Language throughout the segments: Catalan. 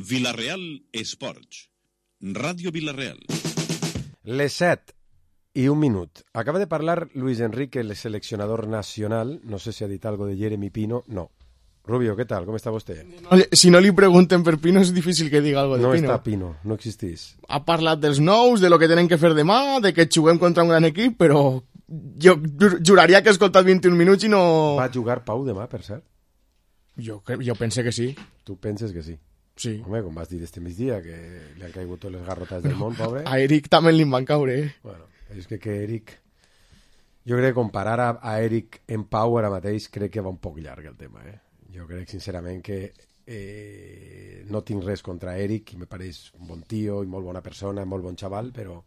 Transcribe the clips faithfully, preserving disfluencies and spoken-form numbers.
Vila-real Esports. Ràdio Vila-real. Les set i un minut. Acaba de parlar Luis Enrique, el seleccionador nacional. No sé si ha dit algo de Jeremy Pino. No. Rubio, ¿qué tal? ¿Cómo está usted? No, si no li pregunten per Pino és difícil que diga algo de no Pino. No està Pino, no existís. Ha parlat dels nous, de lo que tenen que fer demà, de que juguem contra un gran equip, però jo juraria que he escoltat vint-i-un minuts i no... Va jugar Pau demà, per cert? Jo, jo pense que sí. Tu penses que sí? Sí. Home, com vas dir este migdia, que li han caigut totes les garrotes del món, pobre. A Eric també li van caure, eh? Bueno, és que, que Eric... Jo crec que comparar a, a Eric en Pau ara mateix crec que va un poc llarg el tema, eh? Jo crec sincerament que eh, no tinc res contra Eric, i me pareix un bon tio i molt bona persona, molt bon xaval, però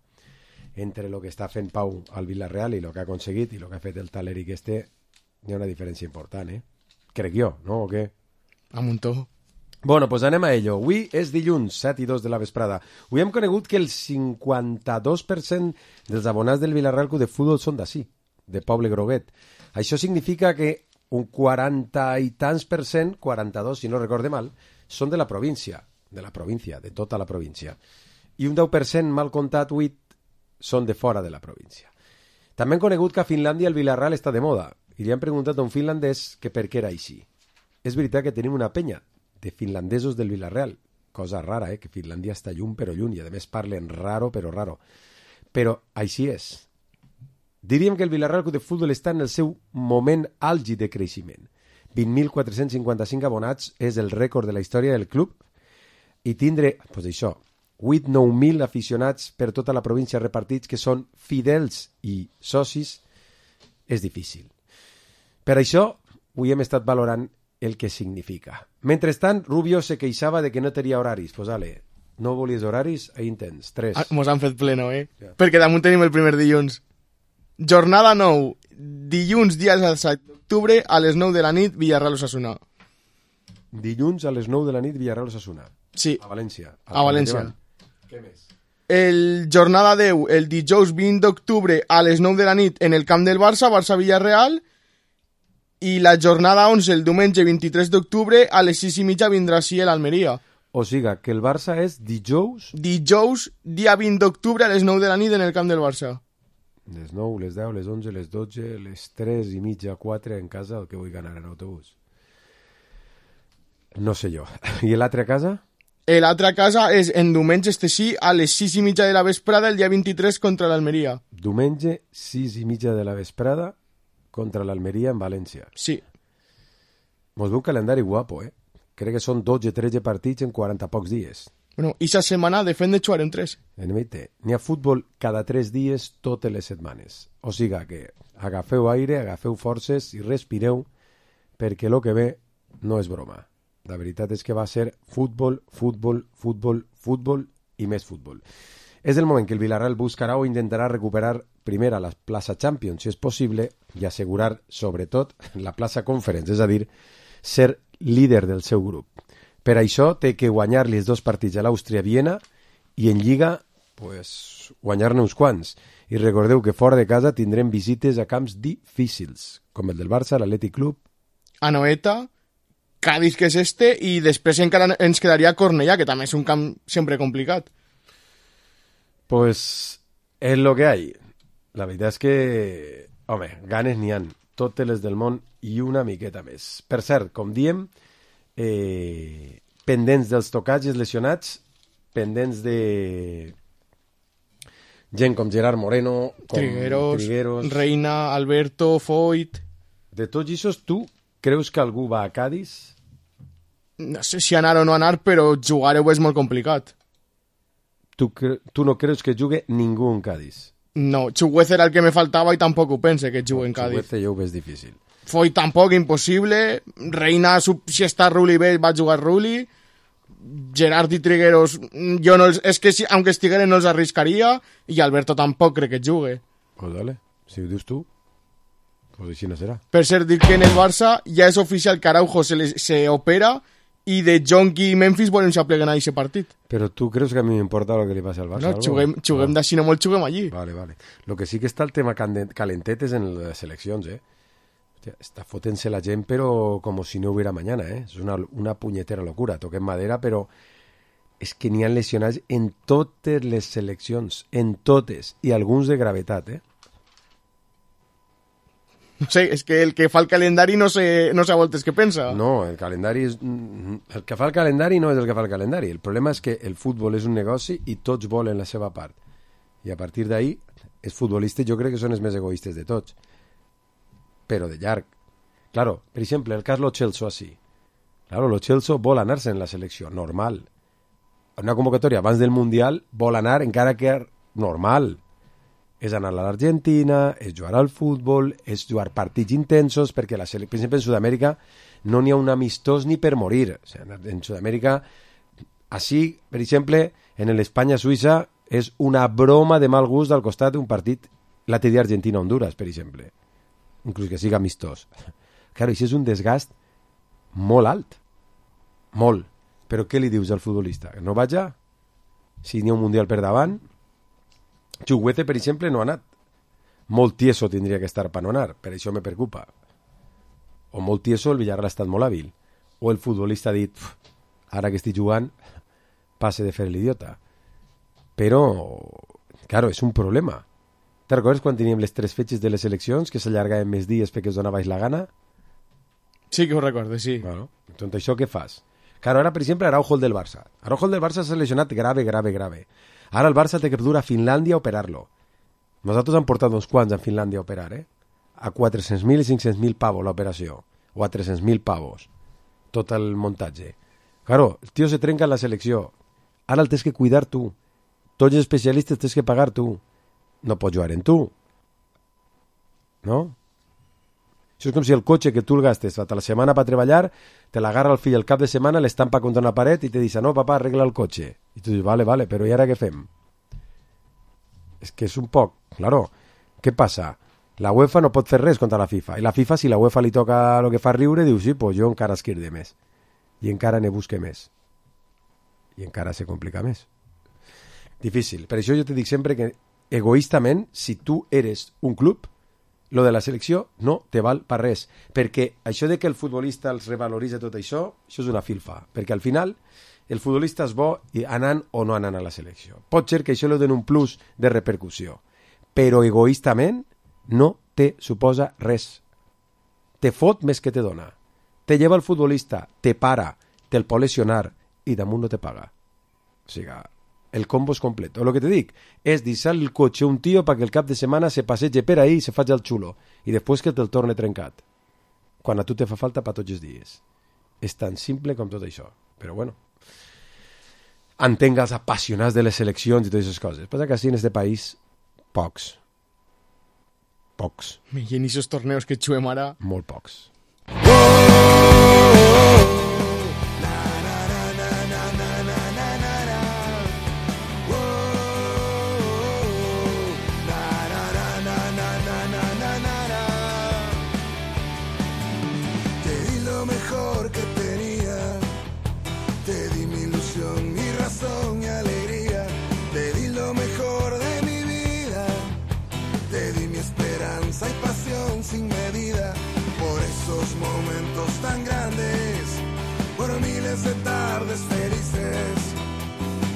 entre el que està fent Pau al Villarreal i el que ha aconseguit i el que ha fet el tal Eric este, hi ha una diferència important, eh? Crec jo, no? O què? A muntó. Bueno, doncs pues anem a ello. Avui és dilluns, set i dos de la vesprada. Avui hem conegut que el cinquanta-dos per cent dels abonats del Villarreal Club de Futbol són d'ací, de Poble Groguet. Això significa que un quaranta i tants per cent, quaranta-dos si no recorde mal, són de la província, de la província, de tota la província. I un deu per cent, mal comptat, vuit, són de fora de la província. També hem conegut que a Finlàndia el Villarreal està de moda, i li han preguntat a un finlandès que per què era així. És veritat que tenim una penya de finlandesos del Villarreal, cosa rara, eh? Que Finlàndia està lluny però lluny, i a més parlen raro però raro. Però així és. Diríem que el Villarreal Club de Futbol està en el seu moment àlgid de creixement. vint mil quatre-cents cinquanta-cinc abonats és el rècord de la història del club, i tindre, doncs això, vuit a nou mil aficionats per tota la província repartits que són fidels i socis, és difícil. Per això, avui hem estat valorant el que significa. Mentrestant, Rubio se queixava de que no tenia horaris. Pues ale, no volies horaris? Ahí en tens, tres. Ah, mos han fet pleno, eh? Ja. Perquè damunt tenim el primer dilluns. Jornada nou, dilluns, dia set d'octubre, a les nou de la nit, Villarreal Osasuna. Dilluns a les nou de la nit, Villarreal Osasuna. Sí. A València. A València. Què més? El jornada deu, el dijous vint d'octubre, a les nou de la nit, en el camp del Barça, Barça-Villarreal, i la jornada onze, el diumenge vint-i-tres d'octubre, a les sis i mitja vindrà així l'Almeria. O siga, que el Barça és dijous... Dijous, dia vint d'octubre, a les nou de la nit, en el camp del Barça. Les nou, les deu, les onze, les dotze, les tres i mitja, quatre en casa, el que vull ganar en autobús. No sé jo. I l'altre a casa? L'altra casa és en diumenge, este sí, a les sis i mitja de la vesprada, el dia vint-i-tres, contra l'Almeria. Diumenge, sis i mitja de la vesprada, contra l'Almeria en València. Sí. Mos ve un calendari guapo, eh? Crec que són dotze o tretze partits en quaranta pocs dies. Bueno, esa setmana de fet de jugar en tres. En mite, n'hi ha futbol cada tres dies totes les setmanes. O siga que agafeu aire, agafeu forces i respireu, perquè el que ve no és broma. La veritat és que va ser futbol, futbol, futbol, futbol i més futbol. És el moment que el Villarreal buscarà o intentarà recuperar primer a la plaça Champions, si és possible, i assegurar, sobretot, la plaça Conference, és a dir, ser líder del seu grup. Per això té que guanyar-li els dos partits a l'Àustria-Viena i en Lliga pues, guanyar-ne uns quants. I recordeu que fora de casa tindrem visites a camps difícils, com el del Barça, l'Atlètic Club, Anoeta, Cádiz, que és este, i després encara ens quedaria Cornellà, que també és un camp sempre complicat. Pues és lo que hay. La veritat és que, home, ganes n'hi han, totes les del món i una miqueta més. Per cert, com diem, eh, pendents dels tocatges lesionats, pendents de gent com Gerard Moreno, com Trigueros, Trigueros, Reina, Alberto, Foyt... De tots aquests, tu creus que algú va a Cádiz? No sé si anar o no anar, però jugar-ho és molt complicat. Tu, cre tu no creus que jugui ningú en Cádiz? No, Chuguez era el que me faltava i tampoc ho pense que jugui en Cádiz. Chuguez jo ho veig difícil. Foyt tampoc, impossible. Reina, si està Rulli bé, va jugar Rulli. Gerard i Trigueros, jo no els, és que si, aunque estigueren no els arriscaria, i Alberto tampoc crec que jugue. Pues dale, si ho dius tu, pues així no serà. Per cert, dir que en el Barça ja és oficial que Araujo se, les, se opera i de Jonqui i Memphis volen s'apleguen a aquest partit. Però tu creus que a mi m'importa el que li passa al Barça? No, juguem, juguem d'així no molt, juguem allí. Vale, vale. Lo que sí que està el tema calentet és en les seleccions, eh? Hòstia, està fotent-se la gent, però com si no hubiera mañana, eh? És una, una punyetera locura. Toquem madera, però és que n'hi ha lesionats en totes les seleccions, en totes, i alguns de gravetat, eh? No sé, és que el que fa el calendari no sé, no sé a voltes què pensa. No, el calendari és... El que fa el calendari no és el que fa el calendari. El problema és que el futbol és un negoci i tots volen la seva part. I a partir d'ahí, els futbolistes jo crec que són els més egoistes de tots. Però de llarg. Claro, per exemple, el cas Lo Celso així. Claro, Lo Celso vol anar-se en la selecció, normal. Una convocatòria abans del Mundial vol anar encara que normal. És anar a l'Argentina, és jugar al futbol, és jugar partits intensos, perquè la sele... per exemple en Sud-amèrica no n'hi ha un amistós ni per morir. O sigui, en Sud-amèrica, així, per exemple, en l'Espanya-Suïssa és una broma de mal gust al costat d'un partit l'altre dia Argentina-Honduras, per exemple. Inclús que siga amistós. Claro, això és un desgast molt alt. Molt. Però què li dius al futbolista? Que no vaja? Si n'hi ha un Mundial per davant... Chukwueze, per exemple, no ha anat. Molt tieso tindria que estar per no anar, per això me preocupa. O molt tieso, el Villarreal ha estat molt hàbil. O el futbolista ha dit, ara que estic jugant, passe de fer l'idiota. Però, claro, és un problema. Te recordes quan teníem les tres fetges de les eleccions, que s'allargaven més dies perquè us donavais la gana? Sí que ho recordo, sí. Bueno, doncs això què fas? Claro, ara, per exemple, Araujo el del Barça. Araujo el del Barça s'ha lesionat grave, grave, grave. Ara el Barça té que dur a Finlàndia a operar-lo. Nosaltres hem portat uns quants a Finlàndia a operar, eh? A quatre-cents mil i cinc-cents mil pavos l'operació. O a tres-cents mil pavos. Tot el muntatge. Claro, el tio se trenca en la selecció. Ara el tens que cuidar tu. Tots els especialistes tens que pagar tu. No pots jugar en tu. No? Això és com si el cotxe que tu el gastes a la setmana per treballar, te l'agarra el fill el cap de setmana, l'estampa contra una paret i te dice, no, papà, arregla el cotxe. I tu dius, vale, vale, però i ara què fem? És que és un poc, claro, què passa? La UEFA no pot fer res contra la FIFA. I la FIFA, si la UEFA li toca el que fa riure, diu, sí, pues jo encara esquirde més. I encara ne busque més. I encara se complica més. Difícil. Per això jo te dic sempre que, egoistament, si tu eres un club, lo de la selecció no te val per res, perquè això de que el futbolista els revaloritza tot això, això és una filfa, perquè al final el futbolista és bo i anant o no anant a la selecció. Pot ser que això li doni un plus de repercussió, però egoistament no te suposa res. Te fot més que te dona. Te lleva el futbolista, te para, te'l pot lesionar i damunt no te paga. O sigui, el combo és complet. O el que te dic és deixar el cotxe un tio perquè el cap de setmana se passegi per ahí i se faci el xulo i després que te'l torne trencat quan a tu te fa falta per tots els dies. És tan simple com tot això. Però bueno, entenc els apassionats de les seleccions i totes aquestes coses. Passa que així en este país pocs. Pocs. I en aquests torneos que juguem ara... Molt pocs. Sin medida, por esos momentos tan grandes, por miles de tardes felices,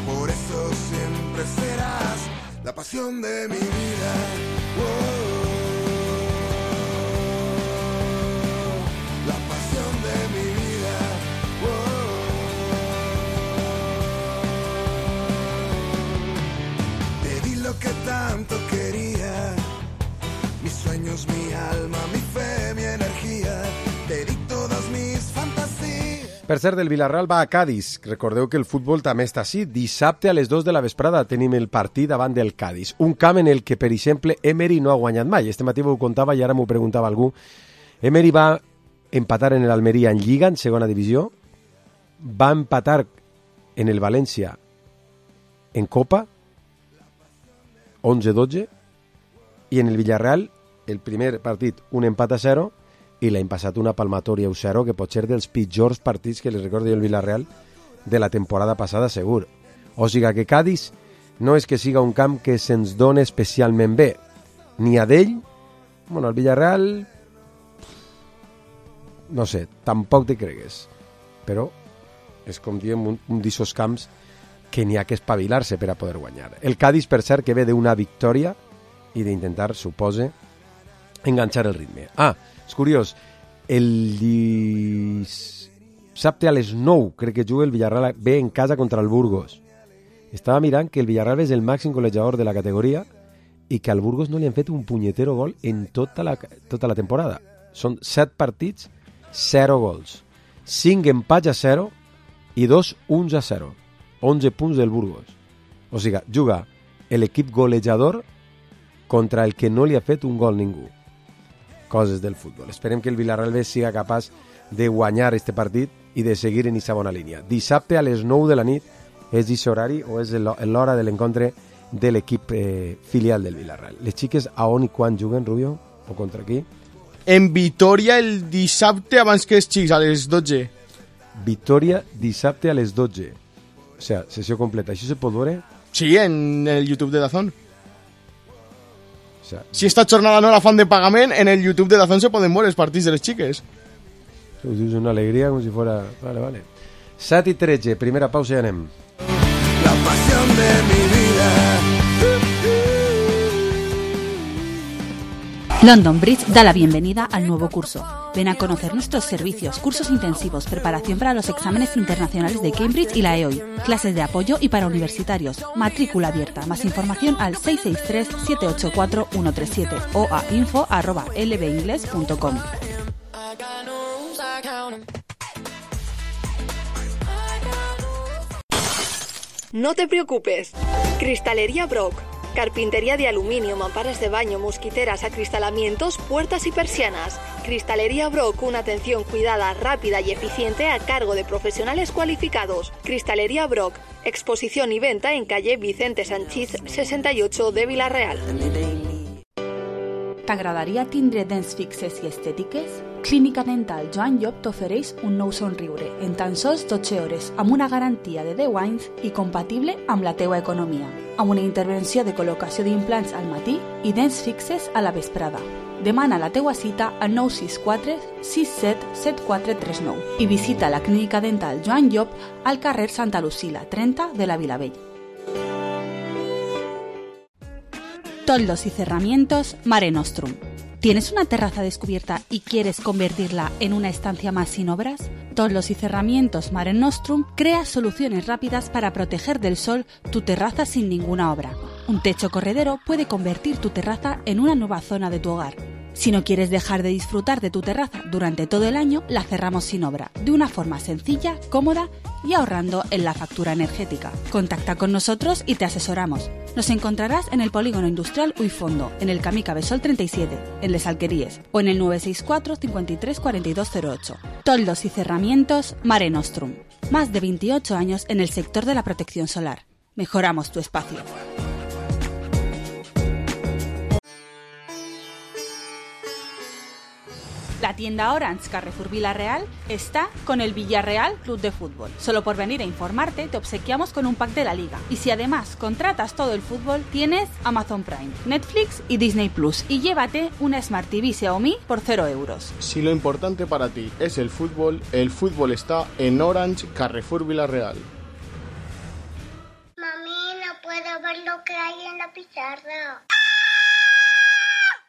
por eso siempre serás la pasión de mi vida. Oh, la pasión de mi vida. Oh, te di lo que tanto quería. Mis sueños, mi alma, mi fe, mi energia, te di todas mis fantasías. Per cert, el Villarreal va a Cádiz. Recordeu que el futbol també està així. Dissabte a les dues de la vesprada tenim el partit davant del Cádiz. Un camp en el que, per exemple, Emery no ha guanyat mai. Este matí ho contava i ara m'ho preguntava algú. Emery va empatar en l'Almeria en Lliga, en segona divisió. Va empatar en el València en Copa, onze dotze. I en el Villarreal, el primer partit, un empat a zero, i l'any passat una palmatòria a zero, que pot ser dels pitjors partits que li recordo jo el Villarreal de la temporada passada, segur. O sigui que Cádiz no és que siga un camp que se'ns dona especialment bé, ni a d'ell, bueno, el Villarreal, no sé, tampoc te cregues, però és com diem un, un d'aquests camps que n'hi ha que espavilar-se per a poder guanyar. El Cádiz, per cert, que ve d'una victòria i d'intentar, supose, enganxar el ritme. Ah, és curiós, el dissabte a les nou crec que juga el Villarreal ve en casa contra el Burgos. Estava mirant que el Villarreal és el màxim golejador de la categoria i que al Burgos no li han fet un punyetero gol en tota la, tota la temporada. Són set partits, zero gols. cinc empats a zero i dos uns a zero. onze punts del Burgos. O sigui, juga l'equip golejador contra el que no li ha fet un gol ningú. Coses del futbol. Esperem que el Villarreal B siga capaç de guanyar este partit i de seguir en aquesta bona línia. Dissabte a les nou de la nit és aquest horari o és l'hora de l'encontre de l'equip eh, filial del Villarreal. Les xiques a on i quan juguen, Rubio? O contra qui? En Vitoria el dissabte abans que els xics, a les dotze. Vitoria dissabte a les dotze. O sigui, sessió completa. Això se pot veure? Sí, en el YouTube de Dazón. O sea, si esta jornada no la fan de pagament, en el YouTube de Dazón se poden veure els partits de les xiques. És una alegria com si fuera... Vale, vale. set i tretze, primera pausa i anem. La pasión de mi vida. London Bridge da la bienvenida al nuevo curso. Ven a conocer nuestros servicios, cursos intensivos, preparación para los exámenes internacionales de Cambridge y la E O I, clases de apoyo y para universitarios, matrícula abierta. Más información al seis seis tres, siete ocho cuatro, uno tres siete o a info arroba l b ingles punto com. No te preocupes. Cristalería Brock. Carpintería de aluminio, mamparas de baño, mosquiteras, acristalamientos, puertas y persianas. Cristalería Brock, una atención cuidada, rápida y eficiente a cargo de profesionales cualificados. Cristalería Brock, exposición y venta en calle Vicente Sanchís sesenta y ocho de Vila-real. T'agradaria tindre dents fixes i estètiques? Clínica Dental Joan Llop t'ofereix un nou somriure en tan sols dotze hores amb una garantia de deu anys i compatible amb la teua economia, amb una intervenció de col·locació d'implants al matí i dents fixes a la vesprada. Demana la teua cita al nou sis quatre, sis set, set quatre tres nou i visita la Clínica Dental Joan Llop al carrer Santa Lucila, trenta de la Vilavell. Toldos y cerramientos Mare Nostrum. ¿Tienes una terraza descubierta y quieres convertirla en una estancia más sin obras? Toldos y cerramientos Mare Nostrum crea soluciones rápidas para proteger del sol tu terraza sin ninguna obra. Un techo corredero puede convertir tu terraza en una nueva zona de tu hogar. Si no quieres dejar de disfrutar de tu terraza durante todo el año, la cerramos sin obra, de una forma sencilla, cómoda y ahorrando en la factura energética. Contacta con nosotros y te asesoramos. Nos encontrarás en el Polígono Industrial Uifondo, en el Camí Cabesol treinta y siete, en Les Alqueríes, o en el nueve seis cuatro, cincuenta y tres, cuarenta y dos cero ocho. Toldos y cerramientos Mare Nostrum. Más de veintiocho años en el sector de la protección solar. Mejoramos tu espacio. La tienda Orange Carrefour Vila-real está con el Villarreal Club de Fútbol. Solo por venir a informarte te obsequiamos con un pack de la liga. Y si además contratas todo el fútbol, tienes Amazon Prime, Netflix y Disney Plus. Y llévate una Smart T V Xiaomi por cero euros. Si lo importante para ti es el fútbol, el fútbol está en Orange Carrefour Vila-real. Mami, no puedo ver lo que hay en la pizarra.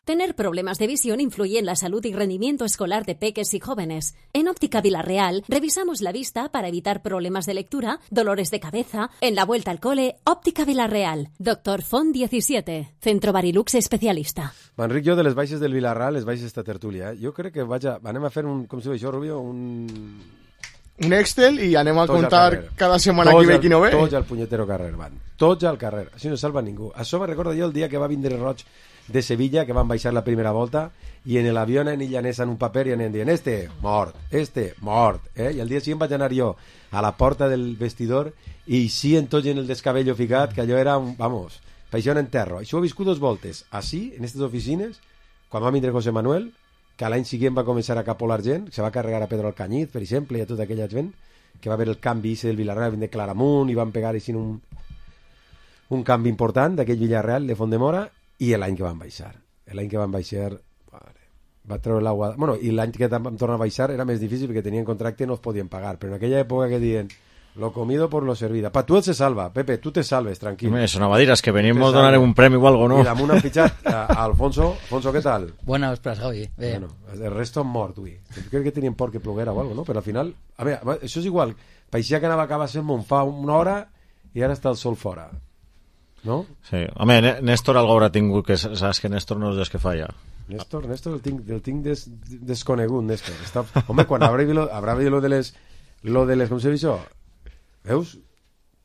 Tener problemas de visión influye en la salud y rendimiento escolar de peques y jóvenes. En Óptica Vila-real revisamos la vista para evitar problemas de lectura, dolores de cabeza. En la vuelta al cole, Óptica Vila-real. Doctor Font diecisiete, Centro Barilux especialista. M'enric jo de les baixes del Vilarreal, les baixes d'esta tertúlia. Eh? Jo crec que vaig a... anem a fer un... com si diu això, Rubio? Un... un Excel i anem a tots contar cada setmana qui ve qui no ve. Tots al punyetero carrer van. Tots al carrer. Així no salva ningú. Això me recorda jo el dia que va vindre Roig de Sevilla, que van baixar la primera volta i en l'avió anaven i llanessen un paper i anaven dient este, mort, este, mort, eh? I el dia següent vaig anar jo a la porta del vestidor i sí en tot en el descabello ficat, que allò era un, vamos, paixó en enterro. Això ho he viscut dos voltes, així, en aquestes oficines, quan va vindre José Manuel, que l'any següent va començar a capolar gent, se va carregar a Pedro Alcañiz, per exemple, i a tota aquella gent, que va haver el canvi del Villarreal, de Claramunt, i van pegar així un, un canvi important d'aquell Villarreal de Font-de-Mora, i l'any que van baixar l'any que van baixar vale, va treure l'aigua, bueno, i l'any que vam tornar a baixar era més difícil perquè tenien contracte i no els podien pagar, però en aquella època que diuen Lo comido por lo servido. Pa tu se salva, Pepe, tu te salves, tranquilo. Eso no va a dir, es que venimos a donar un premio o algo, ¿no? I damunt han fitxat a, a Alfonso. Alfonso, què tal? Buena vesprada, Javi. Bé. Bueno, el resto han mort, ui. Crec que tenien por que ploguera o algo, no? Però al final... A veure, això és igual. Paixia que anava a acabar sent fa una hora i ara està el sol fora. No? Sí. Home, Néstor algo haurà tingut, que saps que Néstor no és des que falla. Néstor, Néstor el tinc, el tinc des, desconegut, Néstor. Està... Home, quan haurà vist lo, haurà vist lo de les... Lo de les... Com se diu això? Veus?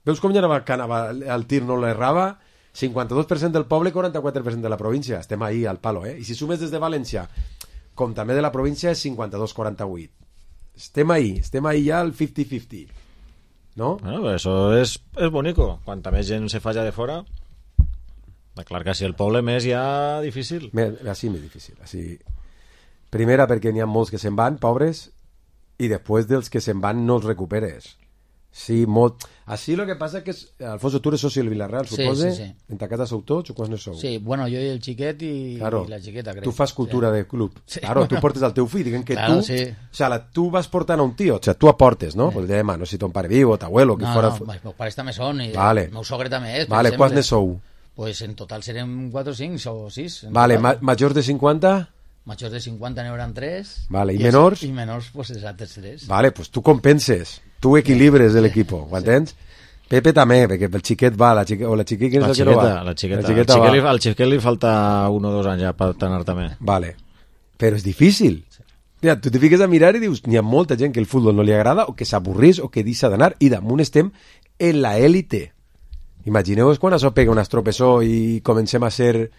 Veus com ja anava, que anava el tir no l'errava? cinquanta-dos per cent del poble, quaranta-quatre per cent de la província. Estem ahí al palo, eh? I si sumes des de València, com també de la província, és cinquanta-dos quaranta-vuit. Estem ahí, estem ahí ja al cinquanta cinquanta. ¿No? Bueno, eso es, es bonico. Quanta més gent se falla de fora, clar que si el poble més ja difícil. Així més difícil. Així... Primera, perquè n'hi ha molts que se'n van, pobres, i després dels que se'n van no els recuperes. Sí, molt... Així lo que passa que és... Alfonso, tu eres soci del Villarreal, supose? Sí, sí, sí. En ta casa sou tots o quants ne sou? Sí, bueno, jo i el xiquet i, claro. i la xiqueta, crec. Tu fas cultura sí. de club. Sí. Claro, tu portes el teu fill, diguem que claro, tu... Sí. O sea, la, tu vas portant a un tio, o sea, tu aportes, no? Sí. Pues demà, no sé si ton pare viu o t'abuelo, que no, fora... No, els meus pares també són, i vale. el meu sogre també és. Vale, quants ne sou? Pues en total serem quatre o cinc o sis. Vale, ma majors de cinquanta? Majors de cinquanta n'hi hauran tres. Vale, i, i menors? I menors, pues els altres tres. Vale, pues tu compenses, tu equilibres sí. l'equip, ho entens? Sí. Pepe també, perquè el xiquet va, la xiqueta, o la xiqueta, la xiqueta, no la xiqueta, la xiqueta al, xiquet li, al xiquet li falta un o dos anys ja per anar també. Vale, però és difícil. Sí. Mira, tu te fiques a mirar i dius, n'hi ha molta gent que el futbol no li agrada, o que s'avorrís, o que deixa d'anar, i damunt estem en la élite. Imagineu-vos quan això pega un estropessó i comencem a ser,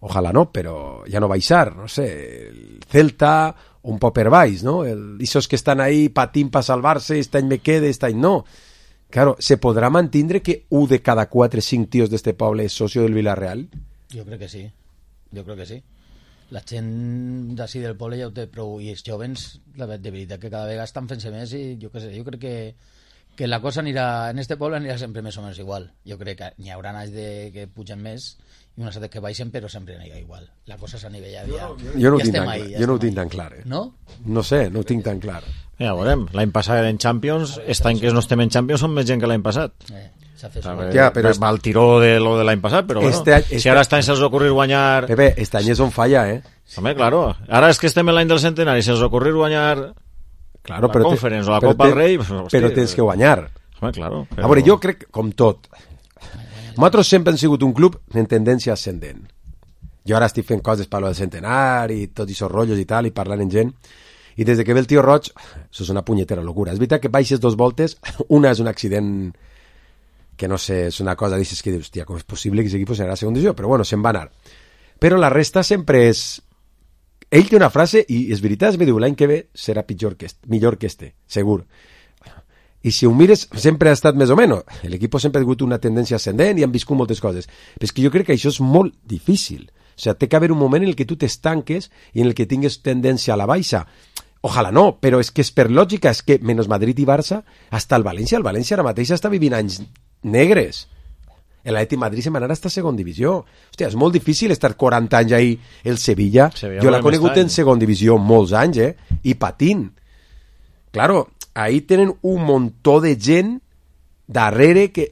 ojalà no, però ja no baixar, no sé, el Celta, un poc per baix, no? El, esos que estan ahí patint per salvar-se, este any me quede, este any no. Claro, ¿se podrà mantindre que un de cada quatre cinc tios d'este poble és socio del Villarreal? Jo crec que sí, jo crec que sí. La gent d'ací del poble ja ho té prou, i els jovens, la de veritat que cada vegada estan fent-se més, i jo, que sé, jo crec que, que la cosa anirà, en este poble anirà sempre més o menys igual. Jo crec que n'hi haurà anys de que pugen més i unes altres que baixen, però sempre anirà igual. La cosa s'ha nivellat ja. Jo no ho ja tinc tan, ahí, clar. Ja Jo no ho tinc tan clar, eh? No? No sé, no ho tinc tan clar. Ja veurem, l'any passat en Champions, aquest any que no estem en Champions són més gent que l'any passat. Eh, s'ha fet veure, ja, però va el tiró de lo de l'any passat, però este bueno, any, este... si ara estan se'ls ocorrir guanyar... Pepe, este any és on falla, eh? Home, claro, ara és que estem en l'any del centenari, se'ls ocorrir guanyar claro, la però Conference te... o la però Copa te... del Rei... Pues, hosti, però tens que guanyar. Home, claro. Però... A veure, jo crec, com tot, nosaltres sempre hem sigut un club en tendència ascendent. Jo ara estic fent coses per lo del centenari i tots aquests rotllos i tal, i parlant amb gent, i des de que ve el tio Roig, això és una punyetera locura. És veritat que baixes dos voltes, una és un accident que no sé, és una cosa, dices que dius, hòstia, com és possible que s'equip serà a segona divisió? Però bueno, se'n va anar. Però la resta sempre és... Ell té una frase, i és veritat, es me diu, l'any que ve serà pitjor que este, millor que este, segur. I si ho mires, sempre ha estat més o menys. L'equip sempre ha tingut una tendència ascendent i han viscut moltes coses. Però és que jo crec que això és molt difícil. O sigui, té que haver un moment en el que tu t'estanques i en el que tingues tendència a la baixa. Ojalà no, però és que és per lògica, és que menys Madrid i Barça, hasta el València, el València ara mateix està vivint anys negres. L'Atlètic Madrid se'n va anar a esta segona divisió. Hòstia, és molt difícil estar quaranta anys ahí el Sevilla. Sevilla jo l'he conegut en segona divisió molts anys, eh? I patint. Claro, ahí tenen un muntó de gent darrere que...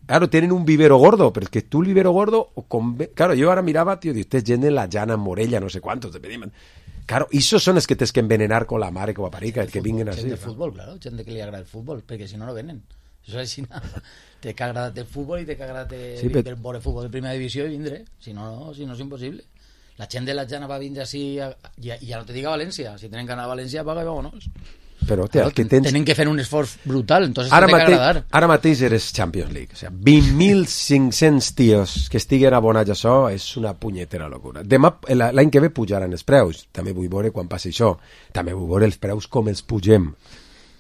Claro, tenen un vivero gordo, pero es que tú el vivero gordo... Con... Claro, yo ahora miraba, tío, de usted gent en la llana, Morella, no sé cuántos, te pedimos... Claro, esos son els que tens que envenenar con la mare que va parir, que, que vinguen així. Gent de futbol, claro, gent que li agrada el futbol, perquè si no, no venen. Això és així, té que agradar el futbol i té que agradar sí, però... veure futbol de primera divisió i vindre, si no, no, si no és impossible. La gent de la llana va vindre així, i ja no te diga València, si tenen que anar a València, paga i vámonos. Però, tia, claro, que tens... tenen que fer un esforç brutal, entonces ara té que mateix, agradar. Ara mateix eres Champions League, o sea, vint mil cinc-cents tios que estiguen abonats a això és una punyetera locura. Demà, l'any que ve pujaran els preus, també vull veure quan passi això, també vull veure els preus com els pugem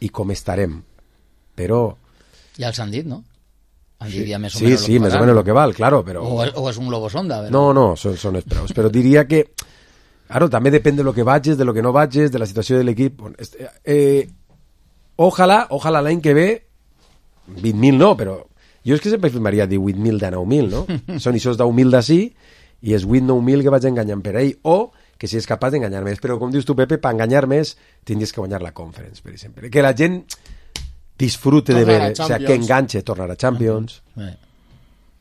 i com estarem, però... Ja els han dit, no? Han dit sí, ja més o sí, menys sí, més o menys el que val, claro, però... O, o és un globo sonda, però... No, no, són, són els preus, però diria que... Claro, també depèn de lo que vagis, de lo que no vagis, de la situació de l'equip. Eh, ojalà, ojalà l'any que ve, vint mil no, però jo és que sempre firmaria divuit mil de nou mil, no? Són aquests deu mil d'ací i és vuit nou mil que vaig enganyant per ell, o que si és capaç d'enganyar més. Però com dius tu, Pepe, per enganyar més tindries que guanyar la Conference, per exemple. Que la gent... disfrute de Tornar a ver, o sea, Champions. que enganche, tornar a Champions, Eh.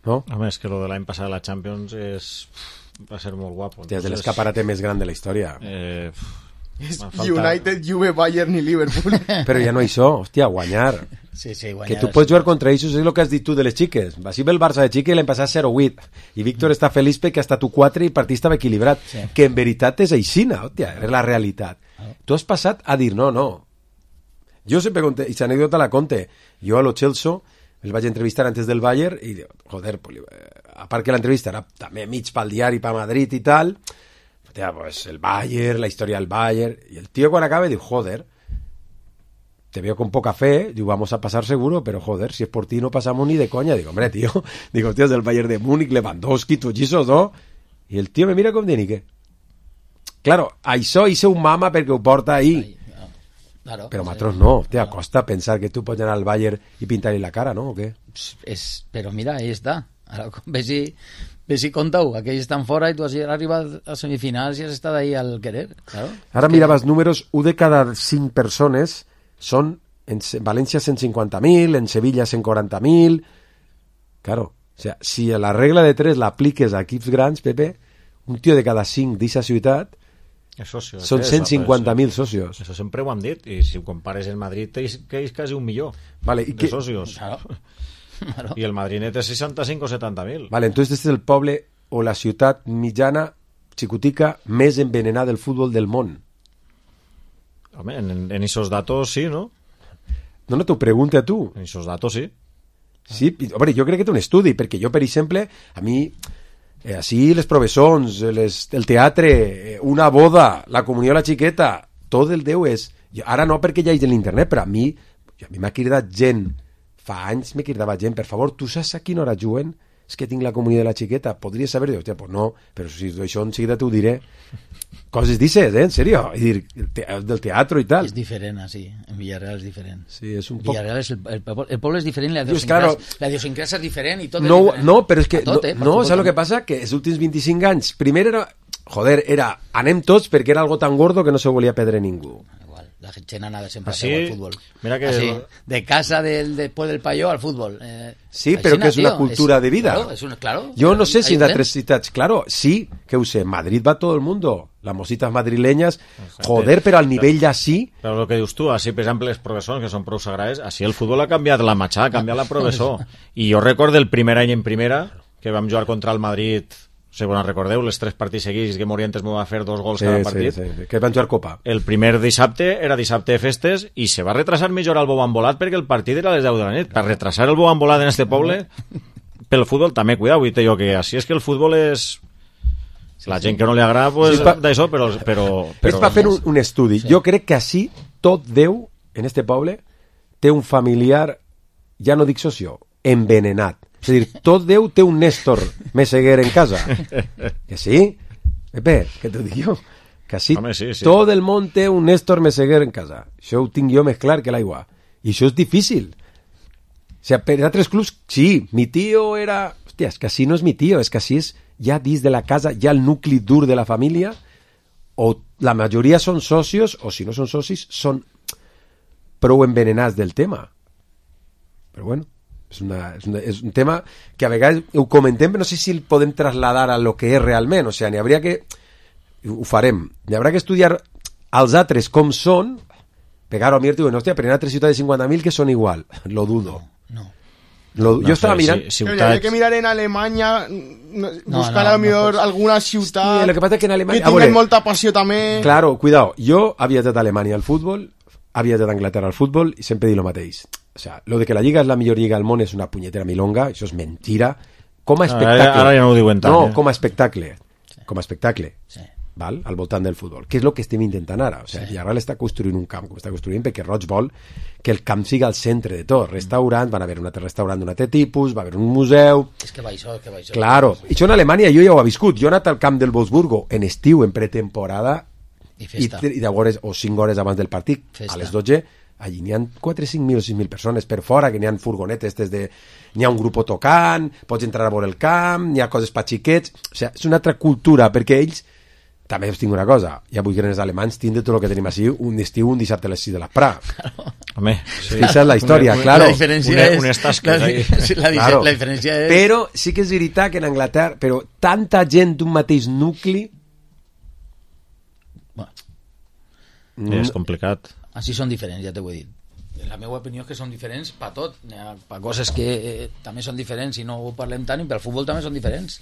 ¿no? A més, que lo de l'any passat la Champions és... va ser molt guapo. Hòstia, és Entonces, l'escaparate més gran de la història. Eh, És m'ha faltat- United, Juve, Bayern i Liverpool. Però ja no això, hòstia, guanyar. Sí, sí, guanyar. Que tu pots jugar contra ells, és el que has dit tu de les xiques. Va ser el Barça de xica i l'hem passat zero vuit. I Víctor està feliç perquè ha estat u quatre i el partit estava equilibrat. Sí. Que en veritat és aixina, hòstia, és la realitat. Tu has passat a dir no, no. Jo sempre conté, i l'anècdota la conte. Jo a lo Chelsea el vaig entrevistar antes del Bayern i, joder, pues, a part que l'entrevista era també mig pel diari, pa Madrid i tal, hòstia, pues el Bayern, la història del Bayern, i el tío quan acaba diu, joder, te veo con poca fe, digo, vamos a pasar seguro, pero joder, si es por ti no pasamos ni de coña. Digo, hombre, tío, digo, tío, es del Bayern de Múnich, Lewandowski, tots esos, ¿no? I el tío me mira com de ni què. Claro, això hice un mama perquè ho porta ahí. Claro, Però sí. nosaltres no, te costa pensar que tu pots anar al Bayern i pintar-li la cara, no? O què? És, però mira, ahí està. Ara, ve si, ve si compta-ho. Aquells estan fora i tu has arribat a semifinals i has estat ahí al querer. Claro. Ara mirava els números, un de cada cinc persones són en València cent cinquanta mil, en Sevilla cent quaranta mil. Claro, o sea, si la regla de tres l'apliques a equips grans, Pepe, un tio de cada cinc d'aquesta ciutat és socio, són és, cent cinquanta mil socios. Això sempre ho hem dit, i si ho compares en Madrid és, que és quasi un milió Vale, i de que... socios. Claro. Claro. I el Madrid net és seixanta-cinc o setanta mil. Vale, entonces este és el poble o la ciutat mitjana, xicotica, més envenenada del futbol del món. Home, en, en esos datos sí, no? No, no, t'ho pregunto a tu. En esos datos sí. Sí, hombre, jo crec que té un estudi, perquè jo, per exemple, a mi, eh, així les professons, les, el teatre, eh, una boda, la comunió a la xiqueta, tot el Déu és... Jo, ara no perquè ja hi és l'internet, però a mi, a mi m'ha cridat gent, fa anys me cridava gent, per favor, tu saps a quina hora juguen? És que tinc la comunió de la xiqueta, podries saber? Diu, hòstia, pues no, però si això en seguida t'ho diré. Coses dices, eh, en sèrio? I dir, el te del teatre i tal. És diferent, així. En Villarreal és diferent. Sí, és un poc... Villarreal és el, el, poble, el poble és diferent, la Dius, idiosincràsia claro, la idiosincràsia és diferent i tot no, és diferent. no, però és que A tot, eh, no, no per saps el que passa? Que els últims vint-i-cinc anys primer era, joder, era anem tots perquè era algo tan gordo que no se volia perdre ningú. Igual, la gent anava sempre Así, al fútbol. mira que Así, el- de casa del, después del payó al fútbol. Eh, Sí, així però que na, és una tío, cultura es- de vida. Claro, es una, claro, Yo no sé hay si en un otras ciudades, claro, sí, que use, en Madrid va todo el mundo, las mositas madrileñas, joder, pero al nivel ya sí. Però el que dius tu, així, per exemple, els professors, que són prou sagrades, així el futbol ha canviat la matxà, ha canviat la professor. I jo recordo el primer any en primera, que vam jugar contra el Madrid, si vos en recordeu, les tres partits seguits que Morientes m'ho va fer dos gols Sí, cada sí, partit. sí, que van jugar Copa. El primer dissabte era dissabte de festes i se va retrasar mitja hora el bou embolat perquè el partit era a les deu de la nit. Per retrasar el bou embolat en este poble, pel futbol també, cuidao, vull dir jo que així és que el futbol és... La gent que no li agrada, pues, Sí, pa- d'això, però... però, però És per fer un, un estudi. Jo crec que així tot Déu, en este poble, té un familiar, ja no dic socio, envenenat. És a dir, tot Déu té un Néstor Meseguer en casa. Que sí? Pepe, què t'ho dic jo? Que sí, Home, sí, sí. tot el món té un Néstor Meseguer en casa. Això ho tinc jo més clar que l'aigua. I això és difícil. O sea, per altres clubs, sí, mi tío era... Hòstia, és que així no és mi tío, és que així és ja dins de la casa, ja el nucli dur de la família, o la majoria són socios, o si no són socis, són prou envenenats del tema. Però bueno, és, una, és, una, és un tema que a vegades ho comentem, però no sé si el podem trasladar a lo que és realment. O sigui, n'hi hauria que... Ho farem. N'hi haurà que estudiar els altres com són, pegar-ho a mi i diuen, hòstia, però hi ha altres ciutats de cinquanta mil que són igual. Lo dudo. No. Lo, No jo estava sé, mirant... sí, Pero ciutats... hay que mirar en Alemanya, no, No, buscar no, a lo no mejor pots. alguna Sí, ciutat lo que passa és que en que Alemanya... a tinguen veure, molta passió també. Claro, cuidado. Jo havia estat a Alemanya al futbol, havia estat a Anglaterra al futbol i sempre dic el mateix. O sea, lo de que la Lliga és la millor lliga del món és una punyetera milonga, això és mentira. Com a Ara- espectacle... ara ja no ho diuen tant, No, eh? com a espectacle. Com a espectacle. Sí. Val? Al voltant del futbol. Que és el que estem intentant ara. O sigui, sí. Villarreal està construint un camp, com està construint, perquè Roig vol que el camp siga al centre de tot. Restaurant, van haver un altre restaurant d'un altre tipus, va haver un museu... És que va això, és que va això. Claro. I això en Alemanya jo ja ho he viscut. Jo he anat al camp del Wolfsburgo en estiu, en pretemporada, I festa. i, i de hores, o cinc hores abans del partit, Festa. a les dotze, allí n'hi ha quatre, cinc mil o sis mil persones per fora, que n'hi ha furgonetes des de... N'hi ha un grup tocant, pots entrar a veure el camp, n'hi ha coses per xiquets... O sigui, és una altra cultura, perquè ells... També us tinc una cosa, ja vull que els alemanys tindre tot el que tenim així un estiu, un dissabte a les sis de la Pra. Home, sí. Esa es la historia, una, claro. La diferència Una- és... unes tasques la, ahí. la, Claro. la diferència és... Però sí que és veritat que en Anglaterra, però tanta gent d'un mateix nucli... Bueno, Mm, És complicat. així són diferents, ja t'ho he dit. La meva opinió és que són diferents per tot. Hi ha per coses que eh, també són diferents i no ho parlem tant, i pel futbol també són diferents.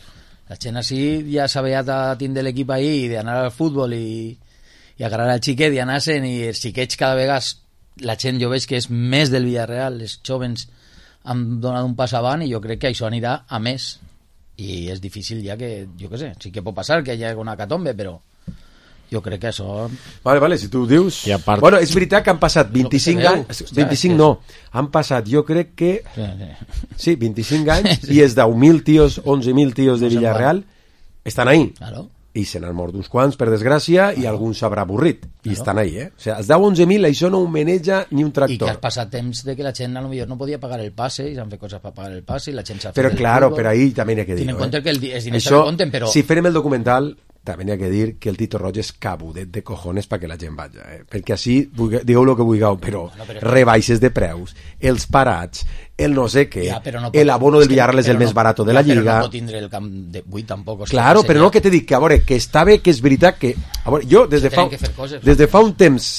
La gent així ja s'ha veat a tindre l'equip ahí i d'anar al futbol i, i agarrar al xiquet i anar-se'n, i els xiquets cada vegada la gent jo veig que és més del Villarreal, els jovens han donat un pas avant i jo crec que això anirà a més, i és difícil ja que, jo què sé, sí que pot passar que hi hagi una catombe, però jo crec que això... Vale, vale, si tu ho dius... I a part- Bueno, és veritat que han passat vint-i-cinc veu. anys... vint-i-cinc no, han passat, jo crec que... Sí, sí. Sí, vint-i-cinc anys i els deu mil tios, onze mil tios de No se'n Villarreal estan ahí. Claro. I se n'han mort uns quants, per desgràcia, i algun s'haurà avorrit. I estan ahí, eh? O sigui, els deu onze mil, això no ho maneja ni un I que tractor. has passat temps de que la gent a lo millor no podia pagar el passe i s'han fet coses per pagar el passe i la gent s'ha fet Però el claro, fútbol. però ahí també n'hi ha que dir. Ten en compte que el di- els diners Això, també compten, però... si farem el documental, també n'hi ha que dir que el Tito Roig és cabudet de cojones perquè la gent vagi, eh? Perquè així, vulgue- digueu el que vulgueu, però, Bueno, però- rebaixes de preus, els parats, el no sé què, Ja, però no pot- el abono del és que- Villarreal és el però més no- barat de ja, la però Lliga... no pot tindre el camp de vuit tampoc. o sigui, Claro, que però seria- no, que t'he dit que, a veure, que està bé, que és veritat que... A veure, jo des de, Que fa, tenen que fer coses, des de fa un temps,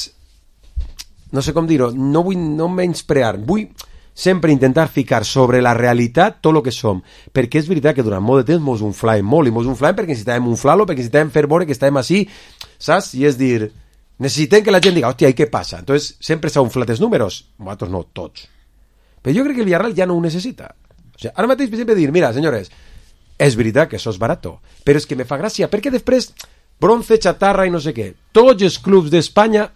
no sé com dir-ho, no vull no menysprear, vull sempre intentar ficar sobre la realitat tot el que som, perquè és veritat que durant molt de temps mos unflàvem molt, i mos unflàvem perquè necessitàvem unflar-lo, perquè necessitàvem fer veure que estàvem així, saps? I és dir, necessitem que la gent diga, hòstia, i què passa? Entonces, sempre s'ha unflat els números, nosaltres no, tots. Però jo crec que el Villarreal ja no ho necessita. O sigui, ara mateix, per exemple, dir, mira, senyores, és veritat que això és barato, però és que me fa gràcia, perquè després, bronce, xatarra i no sé què, tots els clubs d'Espanya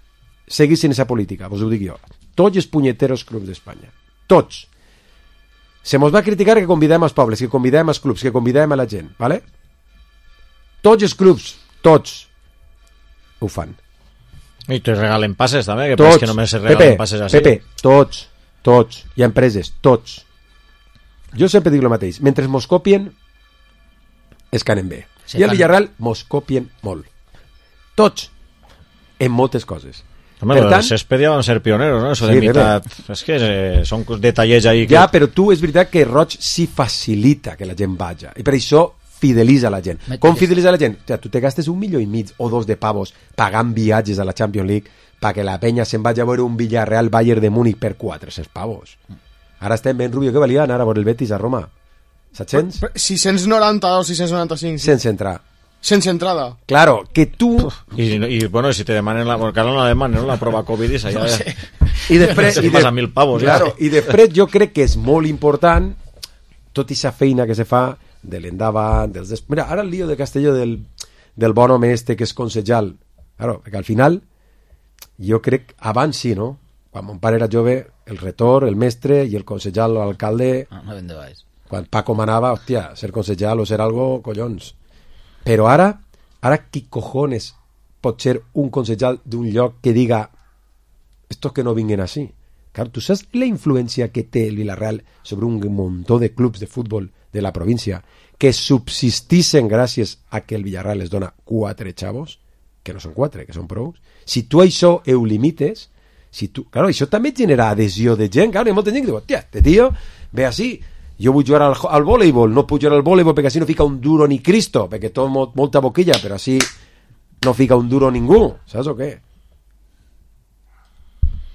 seguissin aquesta política, vos ho dic jo. Tots els punyeteros clubs d'Espanya. Tots. Se mos va criticar que convidem als pobles, que convidem als clubs, que convidem a la gent, ¿vale? Tots els clubs, tots, ho fan. I te regalen passes també, que Tots. tots, que només se regalen Pepe, passes així. Pepe, tots, tots. Hi ha empreses, tots. Jo sempre dic el mateix. Mentre mos copien, es canen bé. Se I al fan- Villarreal mos copien molt. Tots. En moltes coses. Home, Per lo tant- del césped ja van ser pioneros, no? Eso de Sí, mitad... És que eh, són detallets ahí que... Ja, però tu és veritat que Roig sí facilita que la gent vagi. I per això fidelitza la gent. Me- Com fidelitza la gent? O sea, tu te gastes un milió i mig o dos de pavos pagant viatges a la Champions League perquè la penya se'n vagi a veure un Villarreal Bayern de Múnich per quatre-cents pavos. Ara estem ben Rubio, que valia anar a veure el Betis a Roma. set-cents? sis-cents noranta o sis-cents noranta-cinc. Sense entrar. Sense entrada. Claro, que tu... I, i bueno, si te demanen la... Porque ara no la demanen, no? La prova Covid i ja... No sé. I després... Te i vas a mil pavos, claro, ja. I després jo crec que és molt important tot i aquesta feina que se fa de l'endavant, dels... Des... Mira, ara el lío de Castelló del, del bon home este que és consejal. Claro, perquè al final jo crec, abans sí, no? Quan mon pare era jove, el retor, el mestre i el consejal o alcalde, No, no ben de baix. quan Paco manava, hòstia, ser consejal o ser algo, collons. Però ara, ara qui cojones pot ser un consejal d'un lloc que diga estos que no vinguen així? Claro, tu saps la influència que té el Villarreal sobre un muntó de clubs de futbol de la província que subsistissen gràcies a que el Villarreal les dona quatre xavos, que no són quatre, que són prou. Si tu això ho limites, si tu, claro, això també genera adhesió de gent, claro, hi ha molta gent que diu, hòstia, este tio ve així, jo vull jugar al, al voleibol, no puc jugar al voleibol perquè així no fica un duro ni Cristo, perquè tot molt, molta boquilla, però així no fica un duro ningú, saps o què?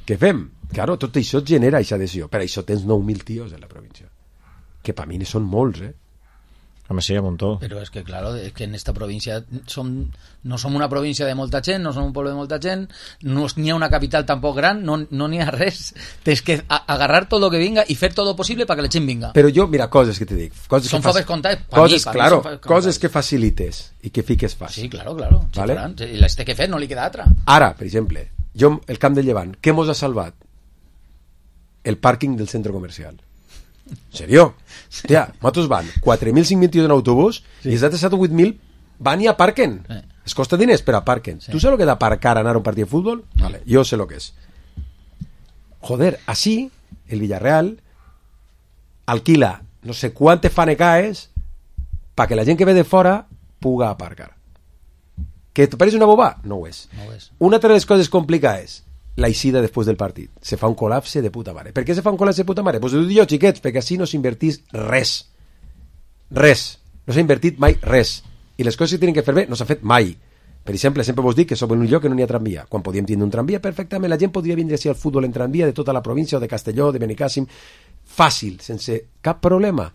Què fem? Claro, tot això genera aquesta adhesió, per això tens nou mil tios en la província, que per mi són molts, eh? Home, sí, un muntó. Però és que, claro, és que en esta província som, no som una província de molta gent, no som un poble de molta gent, no n'hi ha una capital tampoc gran, no no n'hi ha res. Tens que a, agarrar tot lo que vinga i fer tot lo possible perquè la gent vinga. Però jo, mira, coses que te dic. Coses Són que faves comptades, pa coses, mi, pa mi claro, són faves comptades. coses que facilites i que fiques fàcil. Sí, claro, claro. Sí, Vale. faran. I les té que fer, no li queda altra. Ara, per exemple, jo, el Camp de Llevant, què mos ha salvat? El pàrquing del centre comercial. En sèrio? Hòstia, nosaltres van quatre mil cinc mil tios en autobús sí. i els altres set o vuit mil van i aparquen. Sí. Es costa diners, però aparquen. Sí. Tu saps el que d'aparcar anar a un partit de futbol? Vale, jo sé el que és. Joder, així, el Villarreal alquila no sé quantes fanecaes para que la gent que ve de fora puga aparcar. Que te pareix una boba? No ho és. No ho és. Una altra de les coses complicades, la eixida després del partit. Se fa un col·lapse de puta mare. Per què se fa un col·lapse de puta mare? Pues ho dic jo, xiquets, perquè així no s'invertís res. Res. No s'ha invertit mai res. I les coses que tenen que fer bé no s'ha fet mai. Per exemple, sempre vos dic que som en un lloc que no n'hi ha tramvia. Quan podíem tindre un tramvia, perfectament, la gent podria vindre així al futbol en tramvia de tota la província o de Castelló, de Benicàssim, fàcil, sense cap problema.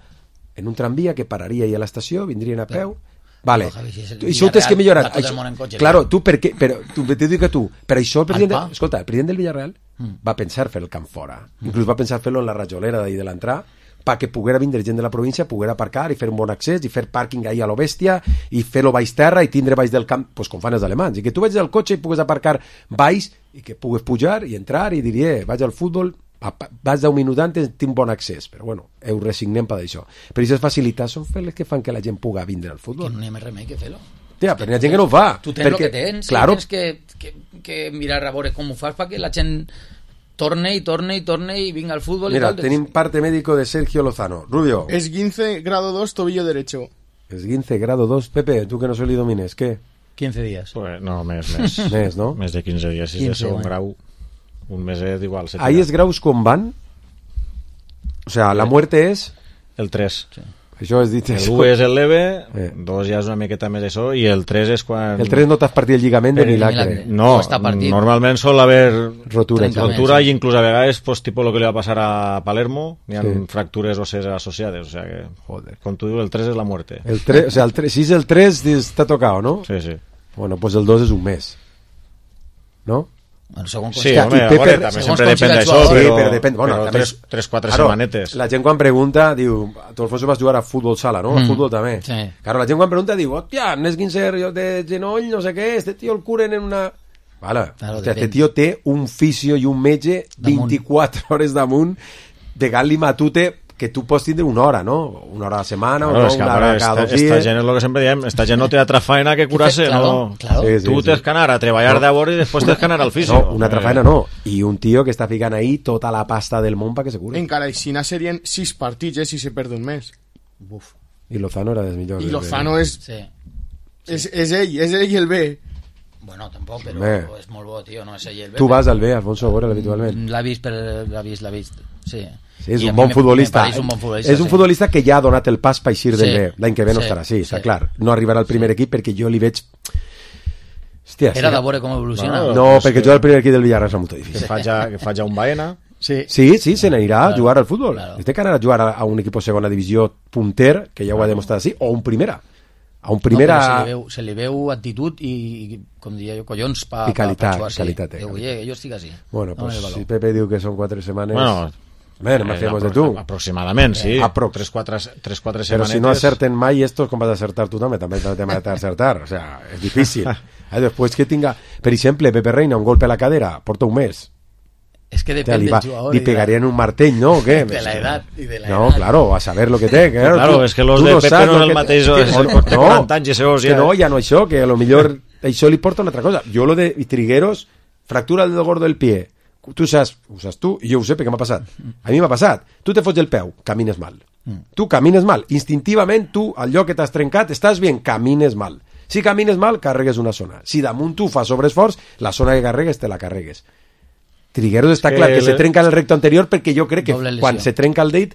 En un tramvia que pararia ahí a l'estació, vindrien a peu... Vale. No, Javi, si és el I això ho tens que millorar. va tot el Això, món en cotxe, claro, clar. tu per què... Però, tu, te dic que tu, per això el president... Alpa. De, escolta, el president del Villarreal Mm. va pensar fer el camp fora. Inclús va pensar fer-lo en la rajolera d'ahir de l'entrada perquè poguera vindre gent de la província, poguera aparcar i fer un bon accés i fer pàrquing ahí a lo bèstia i fer-lo baix terra i tindre baix del camp, pues, com fan els alemans, i que tu vaig del cotxe i pugues aparcar baix i que pugues pujar i entrar i dir, eh, vaig al futbol, vaig d'un minut antes, tinc bon accés, però bueno, heu resignem per això. Però aquestes facilitats són les que fan que la gent puga vindre al futbol. Que no hi ha més remei que fer-lo. Tia, però hi ha gent que no ho fa. Tu tens perquè, el que tens, claro, i tens que, que, que mirar a veure com ho fas perquè la gent torne i torne i torne i vinga al futbol. Mira, i tal. tenim parte médico de Sergio Lozano. Rubio. Esguince grado dos, tobillo derecho. Esguince grado dos. Pepe, tú que no se li domines, ¿qué? quince días. Pues, no, més, més. Més, no? Més de quinze dies, si és de quinze, segon bueno. grau. Un meset igual. se Ahí tira. es graus com van. O sea, la muerte es... El tres. Sí. Això és dit... El u és el leve, Eh. dos ja és una miqueta més això, i el tres és quan... El tres no t'has partit el lligament de Però milagre. milagre. No, No està partit. normalment sol haver Rotura. Trencament. rotura i inclús a vegades pues, tipo lo que li va passar a Palermo, hi ha Sí. fractures ossees associades, o sea que, Joder. com tu dius, el tres és la muerte. El tres, o sea, el tres, si és el tres, està tocado, ¿no? Sí, sí. Bueno, pues el dos és un mes. ¿No? Bueno, segons Sí, Hòstia, home, i a Pepe- veure, també segons sempre com depèn siga el d'això, jugador. però, Sí, però depèn. Bueno, però també tres, és- tres, quatre Claro, setmanetes. La gent quan pregunta, diu, tu Alfonso vas jugar a futbol sala, ¿no? A Mm, futbol també. sí. Claro, la gent quan pregunta diu, hòstia, un esguincer de genoll, no sé què, este tío el curen en una... Vale, Claro, hòstia, este depèn. tío té un fisio i un metge Damunt. vint-i-quatre hores damunt pegant-li matute que tu pots tindre una hora, no? Una hora a la setmana, Claro, o no, és que, una a hora veure, cada esta, dos esta dies. gent és el que sempre diem, esta gent no té altra faena que curar-se, Claro, no... claro. Sí, sí, tu sí. tens que anar a treballar de hora i després tens que anar al fisio. No, una altra faena no. I un tio que està ficant ahí tota la pasta del món perquè se cure. Encara així serien sis partits, eh, si se perd un mes. Buf. I Lozano era dels millors. I Lozano és, Sí. és, és ell, és ell el B. Bueno, tampoc, però Bé. és molt bo, tio, no és ell el Tu vas al B, Alfonso, a veure habitualment. L'ha vist, per... l'ha vist, l'ha vist, sí. Sí, és I a un mi bon me- futbolista. me pareix un bon futbolista, és un sí. futbolista que ja ha donat el pas per eixir del Sí. B. L'any que ve no Sí. estarà així, està Sí. clar. No arribarà al primer equip perquè jo li veig... Hòstia, Era sí. de veure com evoluciona. No, No, pues perquè que- jo al primer equip del Villarreal és molt Que difícil. faja, que faja un Baena. Sí. Sí, sí, se n'anirà a Claro, jugar al futbol. claro. Té que anar a jugar a, a un equip de segona divisió punter, que ja ho ha demostrat així, o un primera. A un primera... No, però se, li veu, se li veu actitud i, i com diria jo, collons pa, I qualitat, pa, pa jugar, sí. qualitat, eh, Diu, qualitat. "Oye, jo estic així. Bueno, Dame el pues valor". si Pepe diu que són quatre setmanes... Bueno, Bueno, me eh, hacemos de apro- tu. Aproximadament, sí. Aprox. Tres, quatre, tres, quatre Però setmanetes. si no acerten mai estos, com vas a acertar tu també? També te vas a acertar. O sea, és difícil. Eh, després que tinga... Per exemple, Pepe Reina, un golpe a la cadera, porta un mes. És que O sea, depèn li, del va, jugador. li i de la- pegarían un martell, ¿no? ¿O qué? De la edad y de la No, edad. claro, a saber lo que té. Que, Claro, Claro, tu- és que los tu de Pepe saps no lo és el que- mateix, que- és el no, té quaranta anys i segons que ja- no, ja no això, que a lo millor això li porta una altra cosa. Jo lo de Trigueros, fractura del dedo gordo del pie. Tu saps, ho saps tu, i jo ho sé perquè m'ha passat. A mi m'ha passat. Tu te fots el peu, camines mal. Tu camines mal. Instintivament, tu, al lloc que t'has trencat, estàs bien, camines mal. Si camines mal, carregues una zona. Si damunt tu fas sobreesforç, la zona que carregues te la carregues. Trigueros està que clar que le- se trenca en el recto anterior perquè jo crec que Doble lesió. quan se trenca el dit,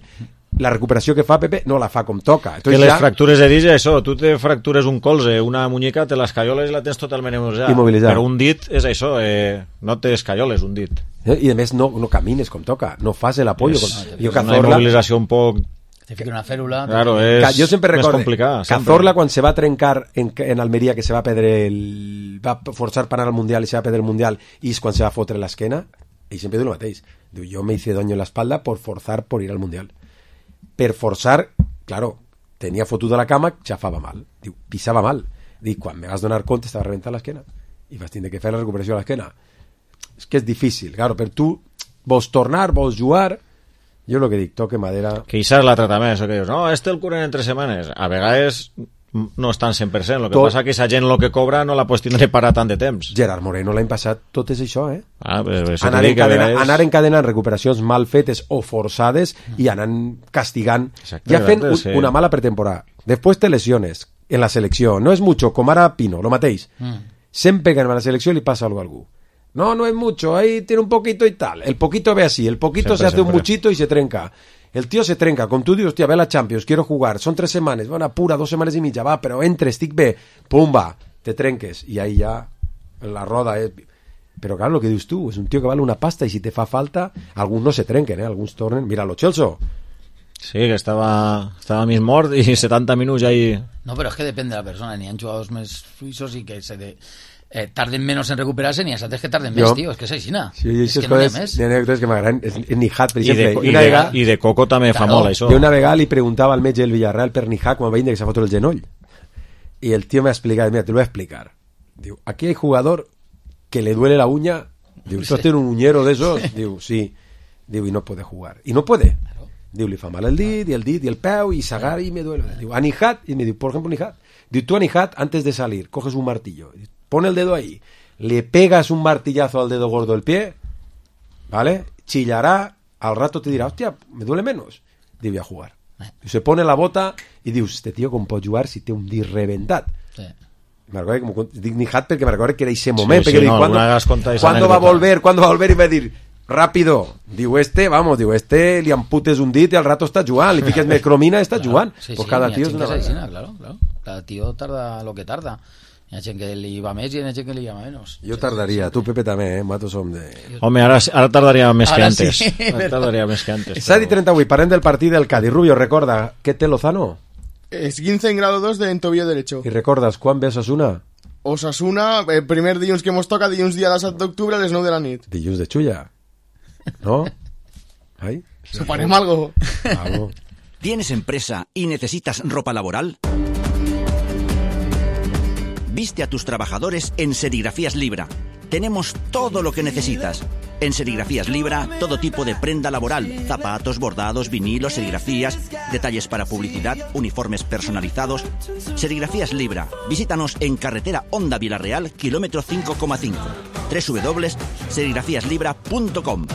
la recuperació que fa Pepe no la fa com toca. Que Entonces les ja, fractures de dits, això, tu te fractures un colze, una muñeca, te l'escaioles i la tens totalment immobilitzada. Immobilitzada. Però un dit és això, eh, no te escaioles un dit. eh, i a més no, no camines com toca, no fas el apoyo. És, Com, és jo una Cazorla, immobilització un poc... Te fica una fèrula. Claro, Ca- és jo sempre més recordo complicat. sempre. Cazorla quan se va trencar en, en Almeria, que se va perdre el, va forçar per anar al Mundial i se va perdre el Mundial, i és quan se va fotre l'esquena, i sempre diu el mateix, diu, jo me hice daño en la espalda por forzar por ir al Mundial. Per forçar, claro, tenia fotuda la cama, xafava mal, diu, pisava mal, dic, quan me vas donar compte estava rebentant l'esquena i vas tindre que fer la recuperació de l'esquena. És que és difícil, claro, per tu vols tornar, vols jugar, jo el que dic, toque madera. Que això és l'altre també, això que dius, no, este el curen en tres setmanes. A vegades no estan cent per cent, el que Tot- passa que aquesta gent el que cobra no la pots tindre parar tant de temps. Gerard Moreno l'any passat tot és això, eh? Ah, però això Anar, t'ho dic, que a encadena, vegades- anar encadenant recuperacions mal fetes o forçades i anant castigant, Exacte, ja fent un, sí. una mala pretemporada. Després te lesiones en la selecció, no és mucho, com ara Pino, lo mateix. Mm. Sempre que anem a la selecció li passa alguna a algú. No, no es mucho, ahí tiene un poquito y tal. El poquito ve así, el poquito Siempre, se hace siempre. un muchito y se trenca. El tío se trenca, com tu dius, hòstia, ve la Champions, quiero jugar, son tres semanas, van apura, dos semanas y mitja, va, pero entre, estic bé, pum, va, te trenques, y ahí ya la roda es... Pero claro, lo que dius tu, es un tío que vale una pasta y si te fa falta, alguns no se trenquen, eh, alguns tornen... Mira, lo Chelso. Sí, que estava, estava mig mort i setanta minuts ahí... No, però és que depèn de la persona. N'hi ha jugadors més fluixos i que se de, eh, tarden menys en recuperar-se, n'hi ha altres que tarden més, tio. És que és així, no? Sí, és que no n'hi ha més. N'hi ha anècdotes que m'agraden. És, és Nijat, per I de, exemple. i, una de, vegada, I de Coco també fa Claro. molt, això. jo una vegada li preguntava al metge del Villarreal per Nijat quan va vindre que s'ha fotut el genoll. Y el tío me ha explicado, mira, te lo voy a explicar. Digo, aquí hay jugador que le duele la uña. Digo, ¿esto tiene un uñero de esos? Digo, sí. Digo, y no puede jugar. Y no puede. Digo, le fa mal el dit, y el dit, y el peu, y sagar, y me duele. Digo, a Nijat, y me digo, por ejemplo, Nijat. Digo, tú a Nijat, antes de salir, coges un martillo, pone el dedo ahí, le pegas un martillazo al dedo gordo del pie, ¿vale? Chillará, al rato te dirá, hostia, me duele menos. Digo, voy a jugar. Y se pone la bota, y digo, este tío com pot jugar si té un dit reventat. Sí. Me recuerdo que como dic Nijat perquè me recuerdo que era ese momento, Sí, que sí, dic, no, ¿cuándo, alguna vez has contado esa ¿cuándo va a anécdota? volver? ¿Cuándo va a volver? Y va a dir, rápido. Digo, este, vamos, digo, este li amputes un dit i al rato està jugant, li fiques mecromina i està jugant. Sí, pues sí, cada n'hi ha tío és gent una que és així, manera. claro, claro. Cada tío tarda lo que tarda. Hi ha gent que li va més i hi ha gent que li va menys. Jo tardaria, tu Pepe també, eh? Mato som de... Home, ara, ara tardaria més que Ara antes. sí. Ara tardaria més que antes. Sadi però- trenta-vuit, parlem del partit del Cádiz. Rubio, recorda, què té Lozano? Esguince en grado dos de en tobillo derecho. I recordes quan ve Osasuna? Osasuna, el primer dilluns que mos toca, dilluns dia disset d'octubre a les nou de la nit. Dilluns de Xulla. ¿No? ¿Ahí? Suponem algo. Algo. ¿Tienes empresa y necesitas ropa laboral? Viste a tus trabajadores en Serigrafías Libra. Tenemos todo lo que necesitas. En Serigrafías Libra, todo tipo de prenda laboral, zapatos, bordados, vinilos, serigrafías, detalles para publicidad, uniformes personalizados. Serigrafías Libra. Visítanos en carretera Honda Villarreal, kilómetro cinco coma cinco. doble u doble u doble u punto serigrafías libra punto com.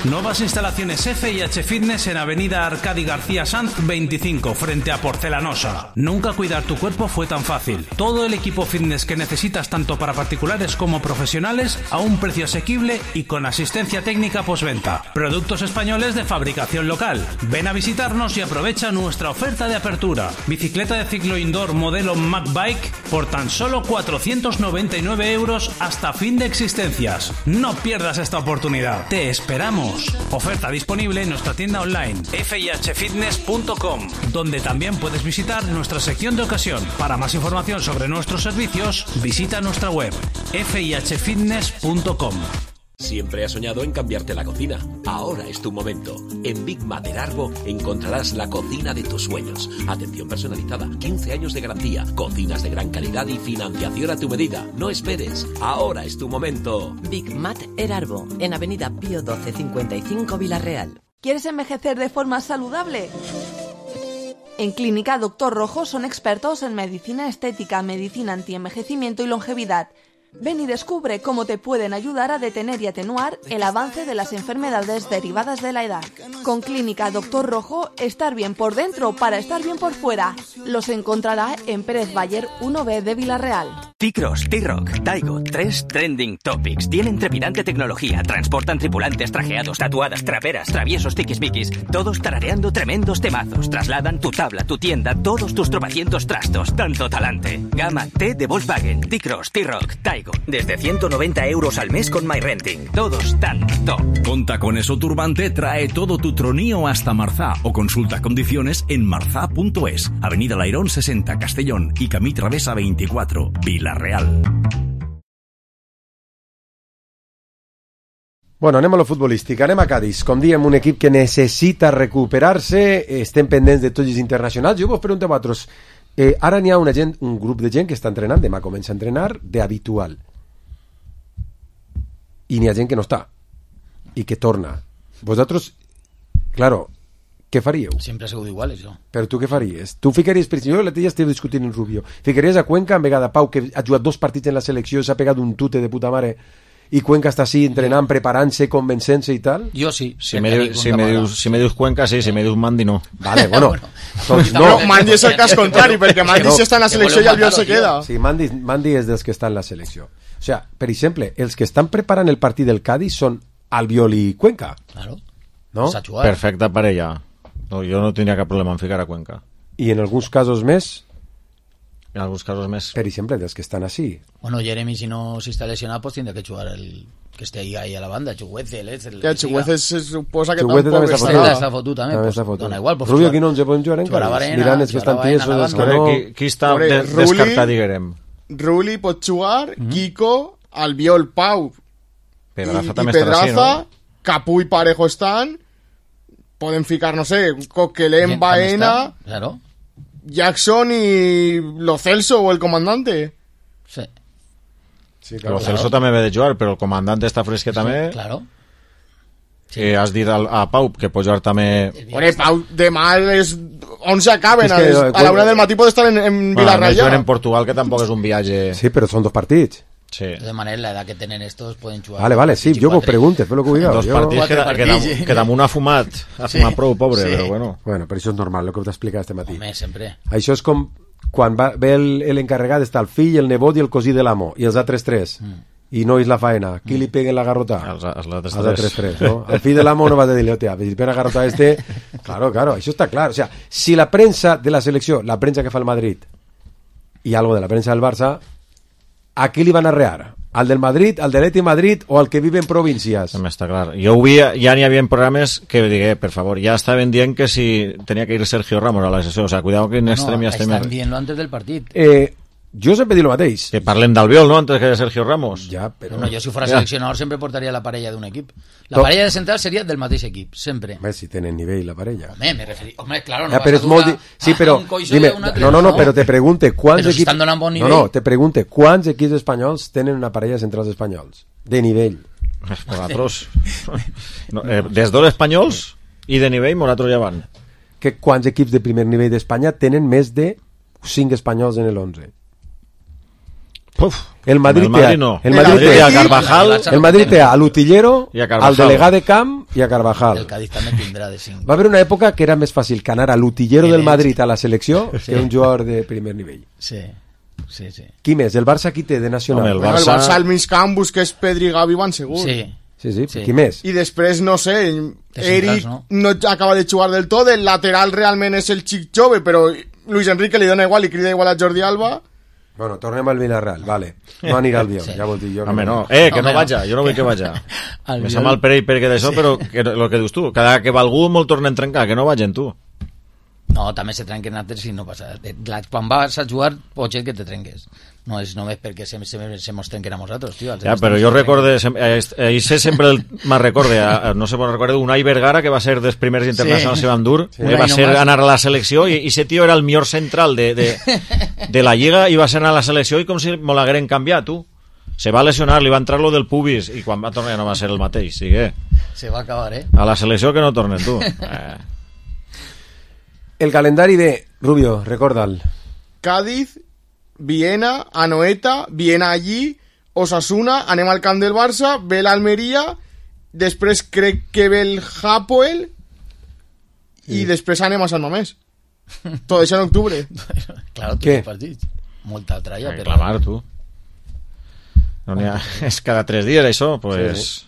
Nuevas instalaciones F y H Fitness en Avenida Arcadi García Sanz veinticinco, frente a Porcelanosa. Nunca cuidar tu cuerpo fue tan fácil. Todo el equipo fitness que necesitas tanto para particulares como profesionales a un precio asequible y con asistencia técnica postventa. Productos españoles de fabricación local. Ven a visitarnos y aprovecha nuestra oferta de apertura. Bicicleta de ciclo indoor modelo Mac Bike por tan solo cuatrocientos noventa y nueve euros hasta fin de existencias. No pierdas esta oportunidad. Te esperamos. Oferta disponible en nuestra tienda online f i h fitness punto com, donde también puedes visitar nuestra sección de ocasión. Para más información sobre nuestros servicios, visita nuestra web f i h fitness punto com. Siempre has soñado en cambiarte la cocina. Ahora es tu momento. En Big Mat del Arbo encontrarás la cocina de tus sueños. Atención personalizada, quince años de garantía, cocinas de gran calidad y financiación a tu medida. No esperes. Ahora es tu momento. Big Mat El Arbo, en Avenida Pío doce cincuenta y cinco Villarreal. ¿Quieres envejecer de forma saludable? En Clínica Doctor Rojo son expertos en medicina estética, medicina antienvejecimiento y longevidad. Ven y descubre cómo te pueden ayudar a detener y atenuar el avance de las enfermedades derivadas de la edad. Con Clínica Doctor Rojo, estar bien por dentro para estar bien por fuera. Los encontrará en Pérez Bayer uno B de Villarreal. T-Cross, T-Rock, Taigo, tres trending topics. Tienen trepidante tecnología, transportan tripulantes trajeados, tatuadas, traperas, traviesos, tiquismiquis, todos tarareando tremendos temazos. Trasladan tu tabla, tu tienda, todos tus tropecientos trastos. Tanto talante. Gama T de Volkswagen, T-Cross, T-Rock, Taigo. Desde ciento noventa euros al mes con MyRenting. Todos tan top. Con Tacones o Turbante trae todo tu tronío hasta Marzá o consulta condiciones en marzá punto es. Avenida Lairón sesenta, Castellón y Camí Travesa veinticuatro, Villarreal. Bueno, anem a lo futbolístic, anem a Cádiz. Com diem, un equip que necessita recuperar-se, estem pendents de tots els internacionals. Jo vos pregunto a vosaltres, eh, ara n'hi ha una gent, un grup de gent que està entrenant, demà comença a entrenar, d'habitual. I n'hi ha gent que no està, i que torna. Vosaltres, claro, què faríeu? Sempre ha sigut igual, això. Però tu què faries? Tu ficaries, per exemple, jo l'altre dia estic discutint en Rubio, ficaries a Cuenca en vegada Pau, que ha jugat dos partits en la selecció, s'ha pegat un tute de puta mare, i Cuenca està així entrenant, preparant-se, convencent-se i tal? Jo sí. Si me, dius, si, me dius, si me dius Cuenca, sí, si me dius Mandi, no. Vale, bueno. Doncs no. no, Mandi és el cas contrari, perquè Mandi no, si està en la selecció i Albiol se queda. Sí, Mandi, Mandi és dels que està en la selecció. O sea, per exemple, els que estan preparant el partit del Cádiz són Albiol i Cuenca. Claro. ¿No? Perfecta parella. No, jo no tindria cap problema en ficar a Cuenca. I en alguns casos més? En alguns casos més. Per exemple, dels que estan així. Bueno, Jeremy, si no si està lesionat, pues tindrà que jugar el que esté ahí, ahí a la banda, Chuguece, el, el, ja, Chuguece se suposa que Chuguece tampoc està està. Està fotut, també. També Pues, està fotut. dona igual, pues, Rubio, aquí no ens podem jugar encara. Mirant els que estan tiesos, els que no... Qui, qui està de, descartat, diguem? Ruli pot jugar, mm -hmm. Kiko, Albiol, Pau Pedraza i, també i Pedraza, estarà així, no? Capu i Parejo estan, poden ficar, no sé, Coquelin, Baena, claro. Jackson y Lo Celso o el comandante. Sí. Sí, claro, Lo Celso claro. també ve de jugar, però el comandante està fresque sí, també. Claro. Sí. Eh, has dit al, a Pau que pot jugar també... Bueno, Pau, demà és... on s'acaben, es que, a, a la una del matí pot estar en, en Villarreal. Bueno, en Portugal, que tampoc és un viatge... Sí, però són dos partits. Sí. De todas maneras, la edad que tienen estos pueden jugar. Vale, vale, sí, jo vos pregunte, fes lo que vulgueu. Dos jo... partits que, que, que, que damunt ha fumat, ha fumat sí. prou, pobre, sí. però bueno. Bueno, però això és normal, el que t'he explicat este matí. Home, sempre. Això és com quan va, ve l'encarregat, està el fill, el nebot i el cosí de l'amo, i els altres tres. Mm. I no és la faena. Qui li peguen la garrota? Els, els altres els altres tres. tres, no? El fill de l'amo no va a dir-li, hòstia, si pega la garrota este... Claro, claro, això està clar. O sea, si la prensa de la selecció, la prensa que fa el Madrid, i algo de la prensa del Barça, a qui li van a arrear? Al del Madrid, al de l'Eti Madrid o al que vive en províncies? També està clar. Jo ho vi, ja n'hi havia programes que digué, per favor, ja estaven dient que si tenia que ir Sergio Ramos a la sessió, o sea, cuidado que en no, extrem ja estem... No, estan dient-lo antes del partit. Eh... Jo sempre dic el mateix. Que parlem d'Albiol, no?, antes que de Sergio Ramos. Ja, però... No, jo si fos seleccionador sempre portaria la parella d'un equip. La Tot... parella de central seria del mateix equip, sempre. Home, si tenen nivell la parella. Home, me referí... Home, claro, no ja, vas a molt di... sí, però, dime, no, no, no, però te pregunte quants però si equips... bon no, no, te pregunte quants equips espanyols tenen una parella de centrals espanyols de nivell. Nosaltres no, eh, des dos espanyols i de nivell nosaltres ja van. Que quants equips de primer nivell d'Espanya tenen més de cinc espanyols en el onze? Uf, el Madrid, el Madrid no. El Madrid té a Carvajal, el Madrid té a l'Utillero, a al delegat de camp i a Carvajal. El Cádiz també tindrà de cinc. Va haver una època que era més fàcil que anar a l'Utillero del Madrid a la selecció sí. que un jugador de primer nivell. Sí. Sí, sí. Qui més? El Barça qui té de nacional? Home, el, Barça... el Barça al mig camp Busquets, Pedri, Gavi van segur. Sí. Sí, sí, sí. Qui més? I després, no sé, Eric no? no acaba de jugar del tot, el lateral realment és el xic jove, però Luis Enrique li dona igual i crida igual a Jordi Alba. Bueno, tornem al Villarreal, vale. No anirà al Bion, sí. ja vol dir jo. Home, no. Eh, que no, no vaja, jo no vull que vaja. Me sap mal per ell perquè d'això, sí. però que, el que dius tu, cada que va algú molt tornen a trencar, que no vagin tu. No, també se trenquen altres i no passa. Quan vas a jugar, pot ser que te trenques. No és només perquè se, se, se mos trenquen a nosaltres, tio. Ja, però jo recorde, ahir sé sempre me'n recorde, no sé on recorde, un Ai Vergara, que va ser dels primers internacionals sí. que van dur, sí. va ser anar a la selecció, i ese tio era el millor central de, de, de la Lliga, i va ser anar a la selecció i com si me l'hagueren canviat, tu. Se va lesionar, li va entrar lo del pubis, i quan va tornar ja no va ser el mateix, sigue. Se va acabar, eh? A la selecció que no tornen, tu. Eh. El calendari de Rubio, recorda'l. Cádiz, Viena, Anoeta, Viena allí, Osasuna, anem al camp del Barça, ve l'Almeria, després crec que ve el Hapoel i sí. després anem a Sant Mamés. Tot això en octubre. Claro, tu què partits. Molta tralla. Però... Clamar, tu. No n'hi ha... És cada tres dies, això, pues... Sí.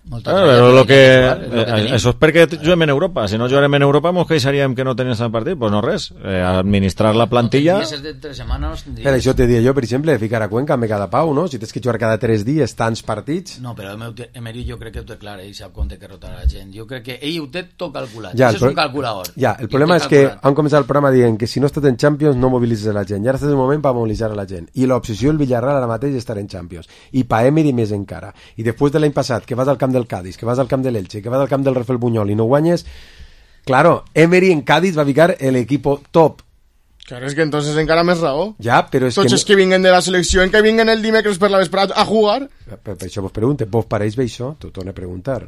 Molta ah, però lo que, eh, això és perquè juguem en Europa. Si no jugarem en Europa mos queixaríem que no tenim el partit. Pues no res, eh, administrar la plantilla. No, de tres setmanes, però això te diria jo, per exemple, ficar a Cuenca me cada pau, no? Si tens que jugar cada tres dies tants partits. No, però Emery jo crec que ho té clar, ell sap com té que rotar la gent. Jo crec que ell ho té tot calculat. Ja, això és un calculador. Ja, el problema és que han començat el programa dient que si no estàs en Champions no mobilitzes la gent. I ara estàs en el moment per mobilitzar la gent. I l'obsessió del Villarreal ara mateix és estar en Champions. I pa Emery més encara. I després de l'any passat, que vas al camp del Cádiz, que vas al camp de l'Elche, que va del camp del Rafael Buñol i no guanyes, claro, Emery en Cádiz va ficar el equipo top. Claro, es que entonces encara més raó. Ja, però és Tots que... els que vinguen de la selecció, en que vinguen el dimecres per la vesprada a jugar. Per, per això vos pregunte, vos pareix bé això? T'ho torno a preguntar.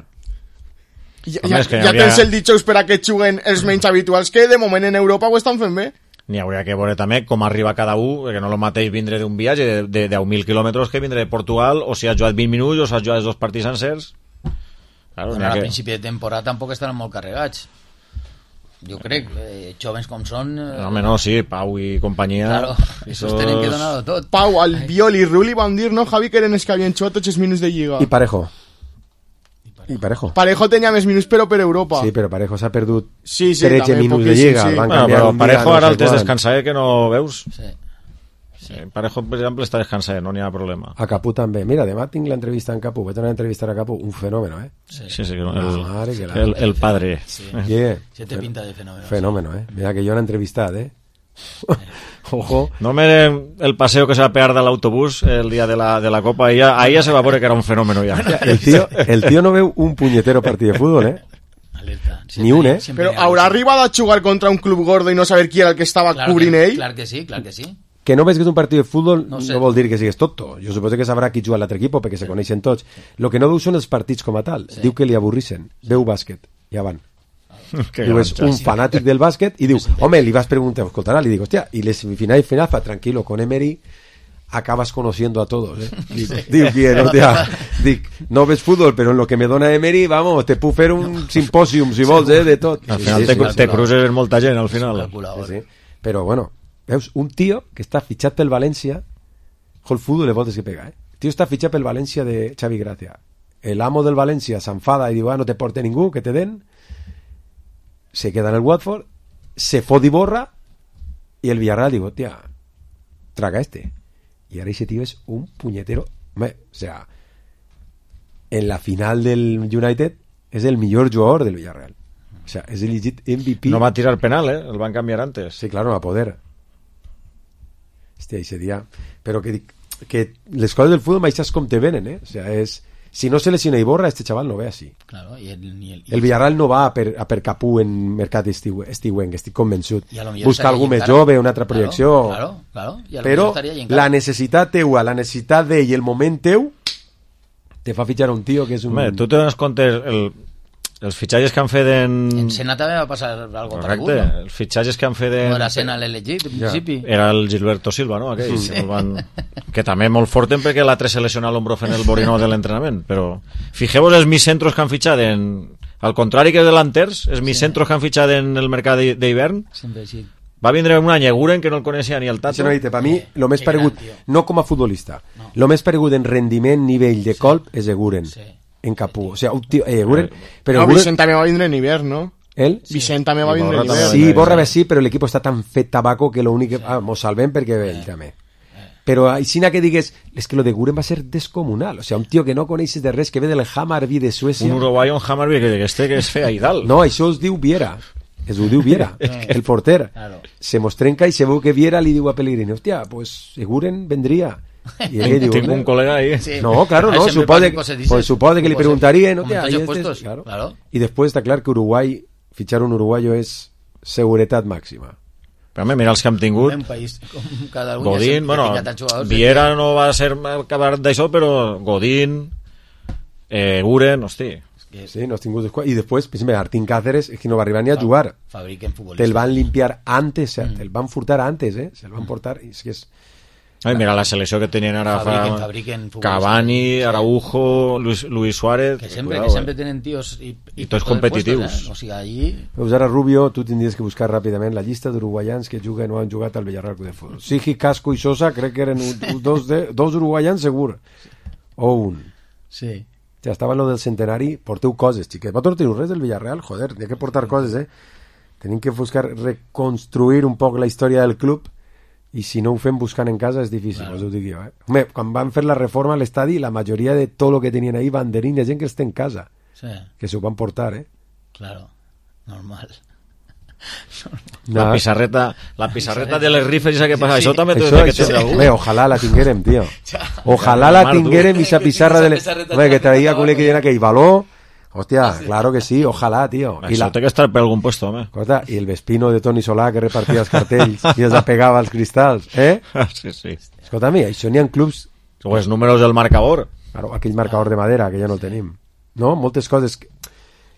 Ja, ja, ja havia... tens el dijous per a que juguen els menys habituals que de moment en Europa ho estan fent bé. N'hi hauria que veure també com arriba cada un, perquè no és el mateix vindre d'un viatge de, de deu mil quilòmetres que vindre de Portugal, o si has jugat vint minuts o si has jugat els dos partits sencers. Claro, bueno, que... a principi de temporada tampoc estaran molt carregats. Jo crec, eh, jovens com són... Eh... No, home, no, sí, Pau i companyia... Claro, esos tenen que donar-ho tot. Pau, Albiol i Rulli van dir, no, Javi, que eren els que havien jugat tots els minuts de Lliga. I Parejo. I Parejo. Parejo tenia més minuts, però per Europa. Sí, però Parejo s'ha perdut sí, sí, tretze minuts de Lliga. Sí, sí. Bueno, però Parejo ara el tens descansat, que no veus? Sí. Sí. Parejo, per exemple, està descansat, no n'hi ha problema. A Capú també. Mira, demà tinc l'entrevista en Capú. Vaig anar a entrevistar a Capú. Un fenómeno, eh? Sí, sí, sí el, el, el, el padre. Sí. Yeah. Se te pinta de fenómeno. Fenómeno, eh? Mira que jo l'he entrevistat, eh? Ojo. No me el paseo que se va a pegar del autobús el día de la, de la Copa, ahí ya, ahí ya se va a poner que era un fenómeno ya. El tío, el tío no veu un puñetero partido de fútbol, eh? Alerta. Ni un, eh? Però haurà arribat a jugar contra un club gordo i no saber qui era el que estava claro cobrint que, ell? Clar que sí, clar que sí. Que no ves que és un partit de futbol no, sé. no vol dir que sigues tonto. Jo suposo que sabrà qui juga a l'altre equip perquè se coneixen tots. Lo que no veu són els partits com a tal. Sí. Diu que li avorrissen. Veu bàsquet. Ja van. Diu, és un fanàtic del bàsquet i diu, home, li vas preguntar, escoltarà, li dic, hòstia, i les semifinals i finals, fa tranquilo, con Emery acabas conociendo a todos, eh? Dic, diu, bien, hòstia, dic, no ves fútbol, però en lo que me dona Emery, vamos, te puc fer un simpòsium, si vols, eh, de tot. Al final sí, sí, te, sí, te cruces molta gent, al final. Sí, sí. Però, bueno, veus, un tio que està fitxat pel València, el futbol le voltes que pega, eh? El tio està fitxat pel València de Xavi Gracia. El amo del València s'enfada i diu, ah, no te porte ningú, que te den. Se queda en el Watford, se fot i borra, y el Villarreal digo, tía, traga este. Y ahora ese tío es un puñetero. O sea, en la final del United es el mejor jugador del Villarreal. O sea, es el legit M V P. No va a tirar penal, ¿eh? El van a cambiar antes. Sí, claro, no va a poder. Hostia, ese día... Pero que, que les coses del fútbol maixas com te venen, ¿eh? O sea, es... Si no se lesiona i borra, este chaval no ve així. Claro, y el, y el, y el Villarreal no va a per, a per Capú en mercat estiuenc, estic convençut. Busca algú més jove, una altra projecció. Claro, claro, claro. Però la necessitat teua, la necessitat d'ell i el moment teu te fa fitxar un tio que és un... Home, tu te dones compte el, els fitxatges que han fet en... En Sena també va passar algo correcte, no? Els fitxatges que han fet en... No era Sena l'elegit, en principi. Ja. Era el Gilberto Silva, no? Aquell, sí. Que, van... que també molt forten perquè l'altre se lesiona l'ombro fent el borinó de l'entrenament, però fixeu-vos els miscentros que han fitxat en... Al contrari que delanters, els miscentros sí. Que han fitxat en el mercat d'hivern, sempre així. Va vindre un any Eguren que no el coneixia ni el Tato. No, per mi, el més paregut, no com a futbolista, el no. més paregut en rendiment, nivell de colp és Eguren. Sí. En Capú, o sea, un tío, eh, Guren, pero no, Guren... Vicent també va vindre en hivern, ¿no? ¿Él? Vicent també va vindre en hivern. Sí, Borra sí, però l'equip està tan fet tabaco que lo únic que... Ah, mos salvem perquè ve ell també. Però així que digues, és que lo de Guren va ser descomunal, o sea, un tio que no coneixes de res, que ve del Hammarby de Suècia. Un uruguayo, un Hammarby que, que este que és fea i dalt. No, això es diu Viera. Es ho diu Viera, el porter. Claro. Se mos trenca i se veu que Viera li diu a Pellegrini, hòstia, pues Guren vendria. Y él digo, tengo un colega ahí. Sí. No, claro, no, supone, pues supone que le preguntarían, ¿no? Tía, este es, claro. Claro. Y después está claro que Uruguay, fichar un uruguayo es seguridad máxima. Però home, mira els que hem tingut. Un país com cada un Godín, bueno, Viera no va ser acabar d'això, però Godín, eh, Guren, hosti. Sí, no has tingut... Y después, pues, Martín Cáceres es que no va a arribar ni a jugar. Fabriquen futbolistas. Te el van limpiar antes, o sea, mm. te el van furtar antes, eh? Se el van portar, y es que es... Ai, mira la selecció que tenien ara fabriquen, fa... fabriquen Cavani, Araujo, Luis, Luis Suárez... Que sempre, cuidado, que sempre eh. tenen tios... I, i, I tots competitius. Puestos, eh? O sigui, allí... Pues ara, Rubio, tu tindries que buscar ràpidament la llista d'uruguaians que juguen o han jugat al Villarreal de Futbol. Sigi, Casco i Sosa, crec que eren dos, de, dos uruguaians segur. O un. Sí. Ja estava en lo del centenari. Porteu coses, xiquet. Va tornar res del Villarreal? Joder, hi ha que portar coses, eh? Tenim que buscar reconstruir un poc la història del club. I si no ho fem buscant en casa és difícil, claro. Us ho dic jo, eh? Home, quan van fer la reforma a l'estadi, la majoria de tot el que tenien ahí, banderines, gent que està en casa, sí. Que s'ho van portar, eh? Claro, normal. La pissarreta, la pissarreta de les rifes, que passa, sí, sí. Això també això, que això, algú. Bé, ojalà la tinguérem, tio. Ojalà la tinguérem, aquesta pissarra de les... Home, que traia con que llena aquell baló. Hostia, sí. Claro que sí, ojalá, tío. Això la... té que estar per algun puesto, home. Escolta, i el Vespino de Toni Solà que repartia els cartells i els apegava als cristalls, eh? Sí, sí. Escolta, mi, això n'hi ha clubs... O els números del marcador. Claro, aquell marcador de madera, que ja no el tenim. No? Moltes coses... Que...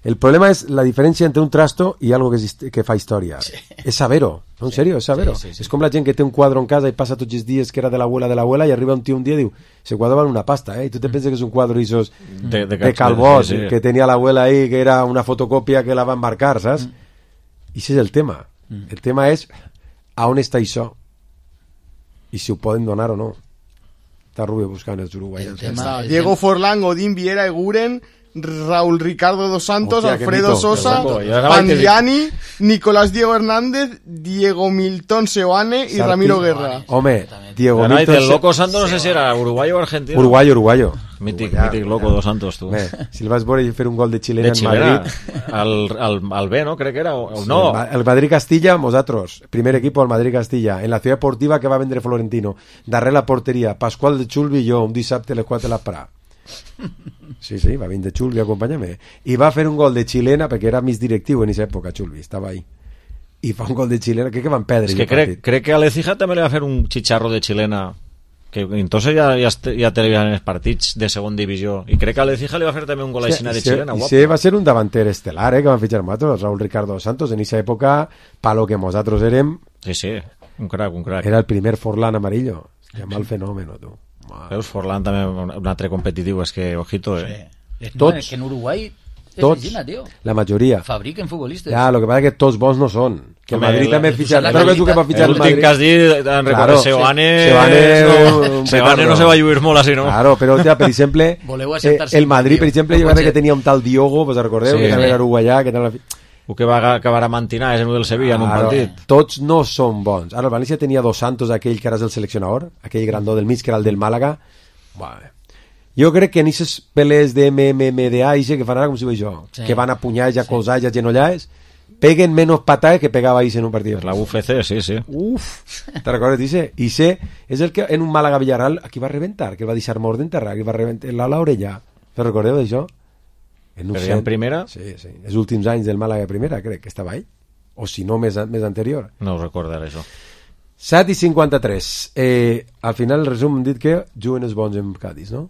El problema es la diferència entre un trasto i algo que, existe, que fa història. Sí. És saber-ho, no, en sèrio, és saber-ho. Sí, sí, sí. És com la gent que té un quadre en casa i passa tots els dies que era de l'abuela de l'abuela i arriba un tio un dia i diu, ese quadre val una pasta, eh? I tu te penses que és un quadre isos de, de, de Calbós, sí, sí. que tenia l'abuela ahí, que era una fotocòpia que la va embarcar, saps? Mm. I ese és el tema. Mm. El tema és a on està això i si ho poden donar o no. Està Rubio buscant els uruguaians. Diego Forlán, Godín, Viera, Eguren, Raúl Ricardo dos Santos, Hostia, Alfredo Sosa, Pandiani, Nicolás Diego Hernández, Diego Milton Seoane y Sarti. Ramiro Guerra. Home, Diego Milton Milton el Loco Santos, no sé si era uruguayo o argentino. Uruguayo, uruguayo. Mític, mític Loco dos Santos, tu. Bé, si el vas veure fer un gol de xilena de en xilena, Madrid. Al, al, al B, ¿no? Crec que era. O, sí, no. El Madrid-Castilla, nosotros. Primer equipo, el Madrid-Castilla. En la ciudad deportiva que va a vendre Florentino. Darrere la porteria. Pascual de Chulvi i jo, un dissabte a les quatre de l'esprà. Sí, sí, va vindre Chulvi a acompanyar-me. I va fer un gol de xilena, perquè era més directiu en aquesta època, Chulvi, estava ahí. I fa un gol de xilena, crec que van perdre. És que crec, crec que a l'Ecija també li va fer un xicharro de xilena, que entonces ja, ja, ja televisaven els partits de segon divisió, i crec que a l'Ecija li va fer també un gol així de xilena, guapo. I sí, va ser un davanter estelar, eh, que van fitxar nosaltres, Raúl Ricardo Santos, en aquesta època, pa lo que nosaltres érem... Sí, sí, un crac, un crac. Era el primer Forlán amarillo. Se llama el fenómeno, tu. Veus, Forlán també un altre competitiu, és que, ojito, eh? Sí. Tots, no, és que en Uruguai tots, Gina, tio. La majoria. Fabriquen futbolistes. Ja, lo que passa és que tots bons no són. Que el Madrid també fitxa... Però que tu que va fitxar el Madrid... L'últim que has dit, en recordo, Seoane... Seoane no se va lluir molt així, no? Claro, però, ja, per exemple, eh, el Madrid, per exemple, jo crec que tenia un tal Diogo, pues recordeu, sí, que també era uruguaià, que tal... O que va acabar a mantinar, és el del Sevilla en un claro, partit. Tots no són bons. Ara el València tenia dos Santos, aquell que ara és el seleccionador, aquell grandó del mig, que era el del Màlaga. Bueno, jo crec que en aquestes peles de M M M D A que fan ara, com si ho veig jo, sí. que van a punyar, ja colzar, ja genollars, peguen menos patadas que pegava Ise en un partit. La U F C, sí, sí. Uf, te recordes, Ise? Ise és el que en un Màlaga-Villarreal aquí va reventar, que va deixar mort d'enterrar, que va reventar l'orella. Te recordeu d'això? En un en primera? Sí, sí. Els últims anys del Màlaga primera, crec que estava ahí. O si no, més, més anterior. No ho recordaré, això. set i cinquanta-tres. Eh, al final, el resum, hem dit que juguen els bons en Cádiz, no?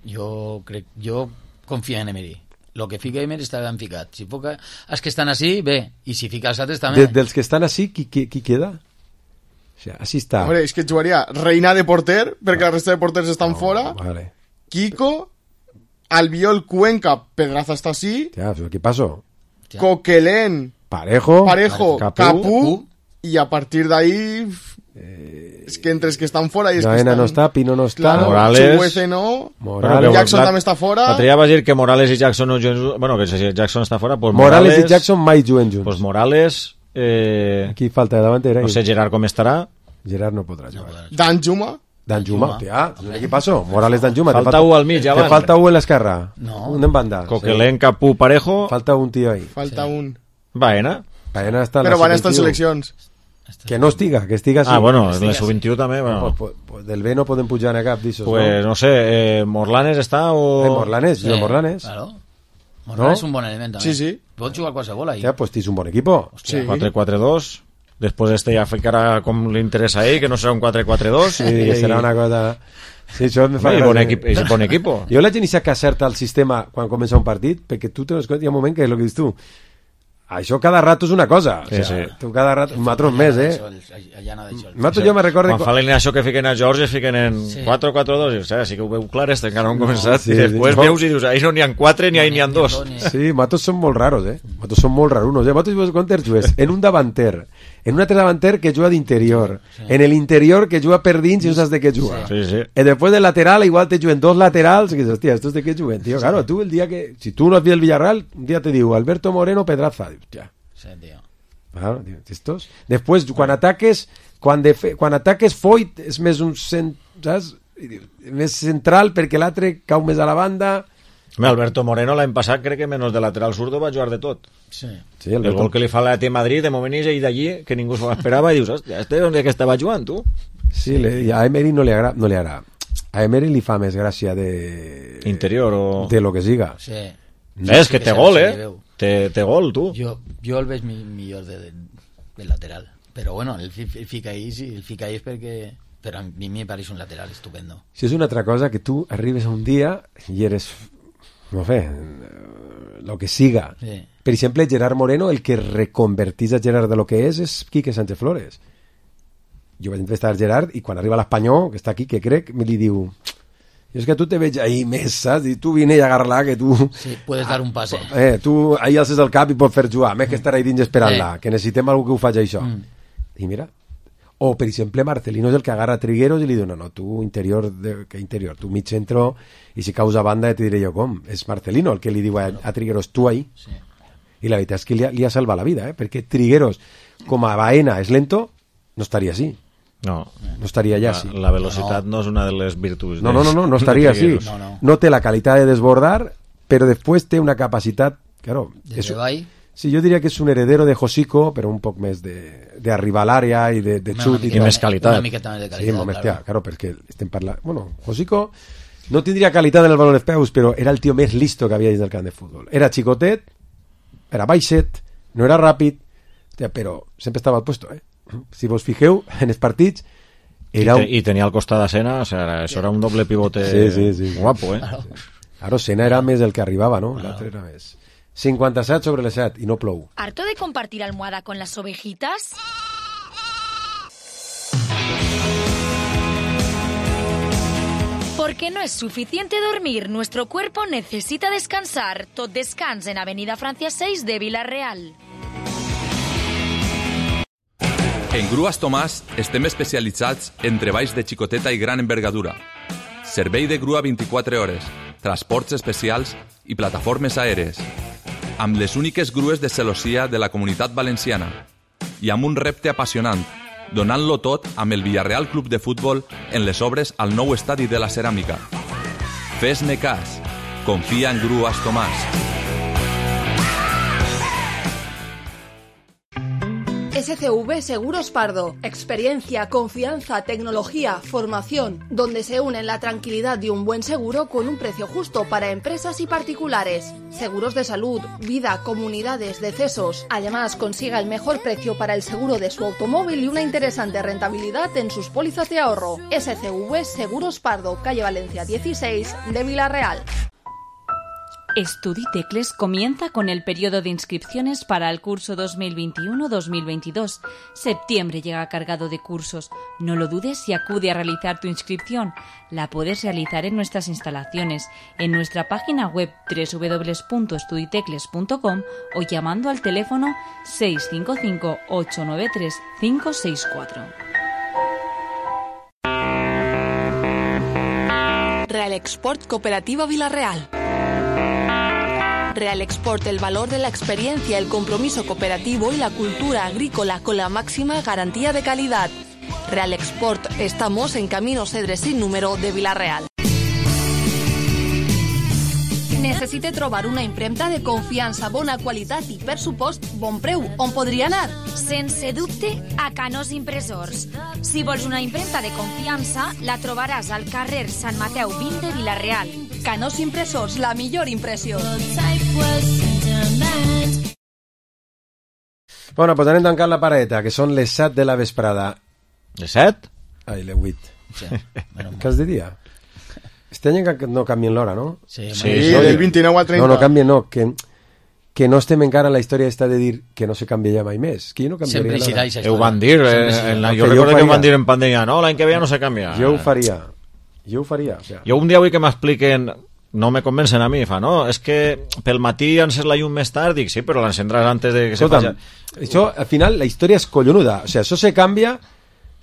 Jo crec... Jo confio en Emery. Lo que fica Emery està ben ficat. Si fica els que estan així, bé. I si fica els altres, també. De, dels que estan així, qui, qui, qui queda? O sea, així està. Hombre, és que jugaria Reina de porter, perquè la resta de porters estan no, fora. Vale. Kiko... Albiol, Cuenca, Pedraza está así. Ya, ¿qué pasó? Coquelén, Parejo, Parejo, Capú, Capú, Capú, y a partir de ahí eh, es que entre es que están fuera y es Jaena que están... no está, Pino no está, claro, Morales, Chuguece no, Morales, Jackson la, también está fuera. L'altre dia vas dir que Morales i Jackson no juguen, bueno, que si Jackson està fora, pues Morales, Morales i Jackson mai juguen junts. Pues Morales, eh, aquí falta de davantera. No sé Gerard com estarà. Gerard no podrà jugar. Dan Juma. Dan Juma, tia, ¿qué pasó? Morales Dan Juma. Falta uno al mig, Te falta uno en l'esquerra. No. Un en banda. Coquelén, sí. Capú, Parejo. Falta un tío ahí. Falta sí. un. Baena. Baena està Però van estar en seleccions. Que no estiga, que estiga ah, bueno, en la sub vint-i-u també, bueno. Pues, pues, del B no podem pujar a cap d'ixos, pues, no? no sé, eh, Morlanes està o... Eh, Morlanes, sí. jo Morlanes. Claro. Morlanes és ¿no? un bon element, també. Sí, sí. Pot jugar qualsevol ahí. Ja, pues tens un bon equipo. Sí. quatre quatre dos. Després este ja ficarà com li interessa a ell, que no serà un quatre quatre dos. Sí, que serà una cosa... Sí, això me fa sí, bon equip, és bon equipo. Jo la gent que acerta el sistema quan comença un partit, perquè tu tens compte, hi ha un moment que és el que dius tu, això cada rato és una cosa. Sí, o sea, sí. Tu cada rato... Nosaltres més, eh? Nosaltres jo me recordo... Quan fa l'eina això que fiquen a George, fiquen en sí. quatre quatre dos, i, o sea, sí que ho veu clar, este encara no han començat, no, sí, i després sí. veus i dius, ahí no n'hi ha quatre, ni ahí n'hi ha dos. Sí, nosaltres som molt raros, eh? Nosaltres som molt rarunos, eh? Nosaltres quantes jugues? En un davanter, en un altre davanter que juga d'interior, sí. en el interior que juga per dins i no saps de què juga. Sí, sí. I després del lateral igual te juguen dos laterals, i que dius, hòstia, estos de què juguen, tio? Claro, tu el dia que... Si tu no has vist el Villarreal, un dia te diu Alberto Moreno Pedraza, dius, ja. Sí, tío. Claro, tío, estos. Després, quan ataques, quan, de fe, quan ataques Foyt és més un cent, saps? Més central perquè l'altre cau més a la banda. Home, Alberto Moreno l'any passat crec que menys de lateral zurdo va jugar de tot. Sí. Sí, el, el gol que li fa l'A T Madrid, de moment és ell d'allí, que ningú s'ho esperava, i dius, hòstia, este on és que estava jugant, tu? Sí, le, a Emery no li agrada, no li agrada. A Emery li fa més gràcia de... Interior o... De lo que siga. Sí. No, és que té gol, eh? Té, té gol, tu. Jo, jo el veig millor de, de, de lateral. Però bueno, el, el fica ahí, sí, el fica ahí és perquè... Però a mi me pareix un lateral estupendo. Si és una altra cosa que tu arribes a un dia i eres no sé, lo que siga. Sí. Per exemple, Gerard Moreno, el que reconvertís a Gerard de lo que és, és Quique Sánchez Flores. Jo vaig entrevistar a Gerard i quan arriba l'Espanyol, que està aquí, que crec, me li diu... És que tu te veig ahí més, saps? I tu vine i agarra-la, que tu... Sí, puedes dar un pase. Eh, tu ahí alces el cap i pots fer jugar, més que estar ahí dins esperant-la, eh. que necessitem algú que ho faci això. Mm. I mira... O, per exemple, Marcelino és el que agarra Trigueros i li diu, no, no, tu interior, de, que interior, tu mig centro, i si causa banda te diré jo com. És Marcelino el que li diu a, a Trigueros, tu ahí. Sí. I la veritat és que li ha, li ha salvat la vida, eh? Perquè Trigueros, com a Baena, és lento, no estaria així. No. No estaria allà, la, sí. La velocitat no. no és una de les virtuts. No, no, no, no, no estaria així. No, no. no té la qualitat de desbordar, però després té una capacitat, claro, de treball. Sí, jo diria que és un heredero de Josico, però un poc més d'arribar a l'àrea i de, de xut. I, i més qualitat. Una miqueta més de qualitat, sí, molt més, claro. claro, perquè estem parlant... Bueno, Josico no tindria qualitat en el baló dels peus, però era el tio més listo que havia dins del camp de futbol. Era xicotet, era baixet, no era ràpid, però sempre estava al puesto, eh? Si vos fijeu, en els partits... Era I, te, I tenia al costat de Sena, o sea, això era un doble pivote sí, sí, sí. guapo, eh? Claro, Sena era més el que arribava, no? L'altre era més... cincuenta-set sobre les set y no plou. ¿Harto de compartir almohada con las ovejitas? Porque no es suficiente dormir, nuestro cuerpo necesita descansar. Tot descans en Avenida Francia seis de Vila-real. En Grues Tomàs estem especialitzats en treballs de xicoteta i gran envergadura. Servei de grua vint-i-quatre hores, transports especials i plataformes aèries. Amb les úniques grues de celossia de la Comunitat Valenciana i amb un repte apassionant, donant-lo tot amb el Villarreal Club de Futbol en les obres al nou estadi de la Ceràmica. Fes-ne cas. Confia en Grues Tomàs. S C V Seguros Pardo. Experiencia, confianza, tecnología, formación, donde se unen la tranquilidad de un buen seguro con un precio justo para empresas y particulares. Seguros de salud, vida, comunidades, decesos. Además, consiga el mejor precio para el seguro de su automóvil y una interesante rentabilidad en sus pólizas de ahorro. S C V Seguros Pardo, calle Valencia dieciséis de Vila-real. Estuditecles comienza con el periodo de inscripciones para el curso dos mil veintiuno dos mil veintidós. Septiembre llega cargado de cursos. No lo dudes y acude a realizar tu inscripción. La puedes realizar en nuestras instalaciones, en nuestra página web doble u doble u doble u punto estuditecles punto com o llamando al teléfono seis cinco cinco ocho nueve tres cinco seis cuatro. Real Export Cooperativa Vila-real. Real Export, el valor de la experiencia, el compromiso cooperativo y la cultura agrícola con la máxima garantía de calidad. Real Export, estamos en Camino Cedre sin número de Vila-real. Necessite trobar una impremta de confiança, bona qualitat i, per supost, bon preu. On podria anar? Sense dubte, a Canós Impressors. Si vols una impremta de confiança, la trobaràs al carrer Sant Mateu vint de Vila-real. Canós Impressors, la millor impressió. Bueno, pues anem tancant la pareta, que són les set de la vesprada. Les set? Ai, les vuit. Sí. Què es diria? Este any no canvien l'hora, no? Sí, sí, sí, del vint-i-nou al trenta. No, no canvien, no, que, que no estem encara en la història esta de dir que no se canvia ja mai més. Que jo no canviaria l'hora. Ho van dir, eh, en la, jo recordo que ho van dir en pandèmia, no, l'any que ve ja no se canvia. Jo ho faria, jo ho faria. O sea. Jo un dia vull que m'expliquen, no me convencen a mi, fa, no, és que pel matí encès la llum més tard, dic, sí, però l'encendràs antes de que se faci. Això, al final, la història és collonuda. O sea, això se canvia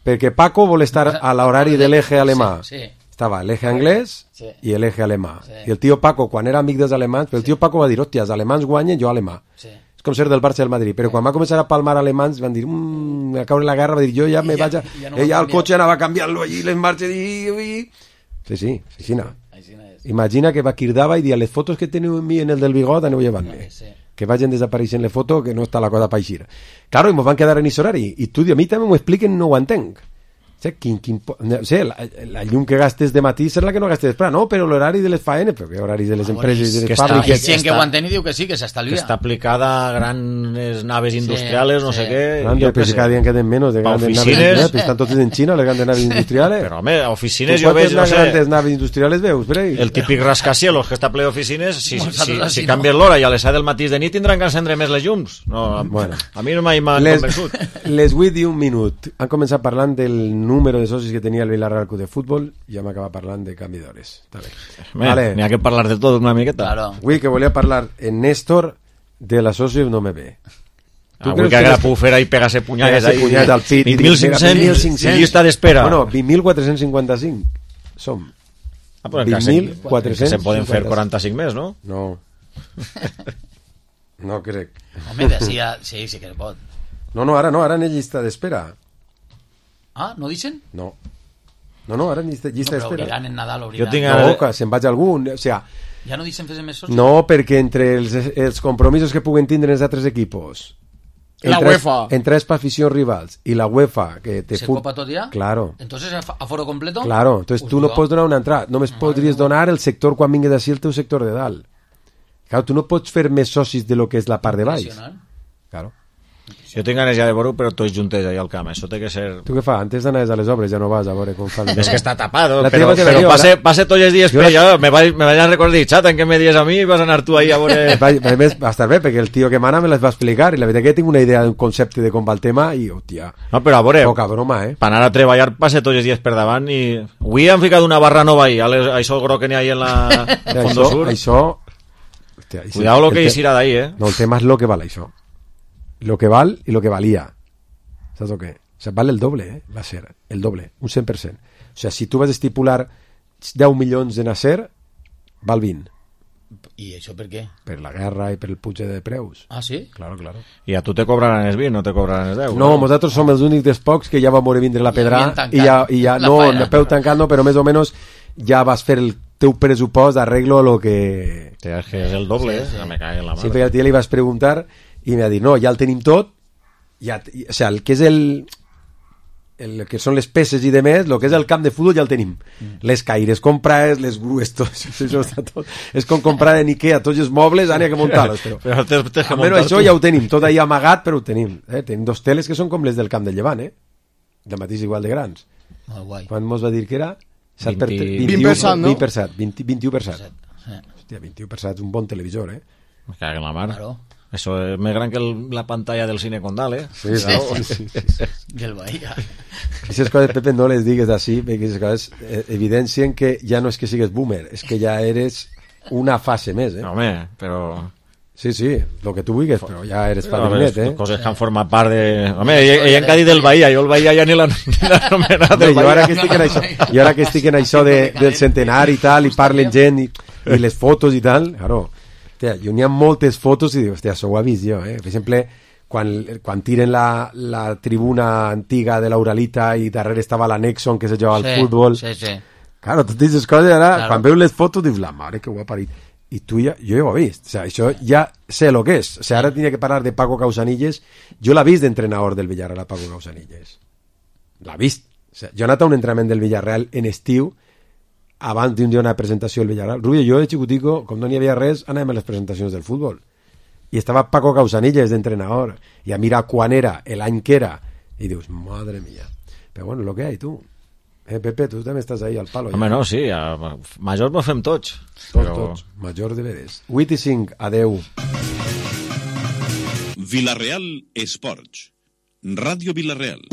perquè Paco vol estar a l'horari de l'eje alemà. Sí, sí. Estava l'eje anglès sí. i l'eje alemà. Sí. I el tio Paco, quan era amic dels alemans, però el tio Paco va dir, hòstia, els alemans guanyen, jo alemà. Sí. És com ser del Barça del Madrid. Però quan va començar a palmar alemans, van dir, mmm, a caure la guerra, va dir, jo ja me ja, vaig a... Ja no ella al cotxe anava canviant-lo allí, les marxes i... Sí, sí, sí, sí, no. Imagina que va quirdava i dia, les fotos que teniu en mi en el del bigot, aneu llevant-me. Sí. Que vagin desapareixent les fotos, que no està la cosa pa eixir. Claro, i mos van quedar en ís horari. I tu, a mi també m'ho expliquen, no ho entenc. O sigui, quin, quin, no sé, la, la llum que gastes de matí serà la que no gastes després, no? Però l'horari de les faenes, però que horaris de les empreses i de les fàbriques... Hi ha gent que ho entén i diu que sí, que s'estalvia. Que està aplicada a grans naves industriales, no sé què... Grande, però si cada dia en queden menys de grandes naves industriales, estan totes en Xina, les grandes naves industriales. Però, home, a oficines jo veig, no sé... Quantes naves industrials veus, per ahí? El típic rascacielos que està ple d'oficines, si, si, si canvies l'hora i a les set del matí de nit tindran que encendre més les llums. No, bueno, a mi no mai m'han convençut. Les vuit i un minut. Han començat parlant del número de socis que tenia el Villarreal Club de Futbol i ja m'acaba parlant de canvi d'hores. Vale. N'hi ha que parlar de tot una miqueta. Claro. Avui que volia parlar en Néstor de la soci no me ve. Avui que Agrapufera i pegase punyades ahí. Punyades al pit. vint mil cinc-cents llista d'espera. Bueno, vint mil quatre-cents cinquanta-cinc som. Ah, però vint mil quatre-cents se poden fer quaranta-cinc més, no? No. No crec. Home, d'ací ja... Sí, sí que pot. No, no, ara no, ara en llista d'espera. Ah, no dicen? No. No, no, ara en llista, llista no, però d'espera. obligan en Nadal, obligan. Jo tinc no, que se'n vaig algun, o sea... Ja no dicen fer més socis? No, perquè entre els, els compromisos que puguen tindre els altres equipos... La UEFA. Entre per aficions rivals i la UEFA que te ¿Se fut... copa tot ja? Claro. Entonces, aforo completo? Claro, entonces pues tu no no. pots donar una entrada, només Madre podries no. donar el sector quan vingues d'ací el teu sector de dalt. Claro, tu no pots fer més socis de lo que és la part de baix. Claro. Jo tinc ganes ja de veure, però tots juntes allà al camp. Això té que ser... Tu què fa? Antes d'anar a les obres ja no vas a veure com fan... És que està tapado, la però, però passe, passe tots els dies per allà. Me vaig, me vaig a recordar, xata, en què me dies a mi i vas anar tu ahí a veure... A més, va estar bé, perquè el tio que mana me les va explicar i la veritat que tinc una idea d'un concepte de com va el tema i, hòstia... No, però a veure... Poca broma, eh? Per anar a treballar passe tots els dies per davant i... Avui han ficat una barra nova ahí, a, les, a això gro que n'hi ha en la el Fondo això, Sur. Això... Hòstia, cuidado lo que hi serà d'ahí, eh? No, el tema és lo que val això. Lo que val i lo que valia. ¿Sabes lo que? O sea, vale el doble, ¿eh? Va a ser el doble, un cent per cent. O sea, si tu vas a estipular deu milions de Nasser, val vint. I això per què? Per la guerra i per el puig de preus. Ah, sí? Claro, claro. I a tu te cobraran els vint, no te cobraran els deu. No, no? Nosaltres som els únics dels pocs que ja va moure vindre la pedra i ja, i ja no, no peu tancant, no, però més o menys ja vas fer el teu pressupost d'arreglo a lo que... Sí, és que és el doble, sí, sí. Eh? Me cae en la mare. Sempre al tio li vas preguntar i m'ha dit, no, ja el tenim tot, ja, o sea, el que és el, el que són les peces i demés, el que és el camp de futbol ja el tenim. Mm. Les caires comprades, les grues, tot, això està tot. És com comprar en Ikea tots els mobles, ara n'hi ha que muntar-los. Però, però te, te almenys això tu. Ja ho tenim, tot ahí amagat, però ho tenim. Eh? Tenim dos teles que són com les del camp del Llevant, eh? De mateix igual de grans. Oh, guai. Quan mos va dir que era? vint, vint per cent, no? vint per cent, vint, vint-i-u per cent. Hòstia, vint-i-u per cent és un bon televisor, eh? Me cago en la mar. Claro. Eso es més gran que el, la pantalla del cine Condal, eh? Sí, sí, sí, sí, sí, sí. Del Bahía. Aquestes coses, Pepe, no les digues així, perquè aquestes coses eh, evidencien que ja no és que sigues boomer, és que ja eres una fase més, eh? No, home, però... Sí, sí, lo que tu vulguis, però ja eres padrinet, eh? Coses que han format part de... Home, ella, ella en Cádiz del Bahía, jo el Bahía ja ni l'han anomenat del Bahía. Jo ara que estic en això, jo ara que estic en això de, del centenari i tal, i parlen gent, i, i les fotos i tal, claro... Hòstia, jo n'hi ha moltes fotos i dic, hòstia, això ho he vist jo, eh? Per exemple, quan, quan tiren la, la tribuna antiga de l'Uralita i darrere estava l'Anexo en què se jugava sí, al futbol. Sí, sí. Claro, totes aquestes coses, ara, claro. Quan veus les fotos, dius, la mare que ho ha parit. I tu ja, jo ja ho he vist. O sea, això ja sé lo que és. O sea, ara tenia que parlar de Paco Causanilles. Jo l'he vist d'entrenador del Villarreal, Paco Causanilles. L'he vist. O sea, jo he anat a un entrenament del Villarreal en estiu abans d'un dia una presentació del Villarreal. Rubio, jo de xicutico, com no n'hi havia res, anàvem a les presentacions del futbol. I estava Paco Causanilles d'entrenador. I a mirar quan era, l'any que era. I dius, madre mía. Però bueno, lo que hay, tu. Eh, Pepe, tu també estàs ahí al palo. Home, ja. No, sí, a majors mos fem tots. Tots, però... tots. Major de veres. vuit i cinc, adeu. Villarreal Esports. Ràdio Villarreal.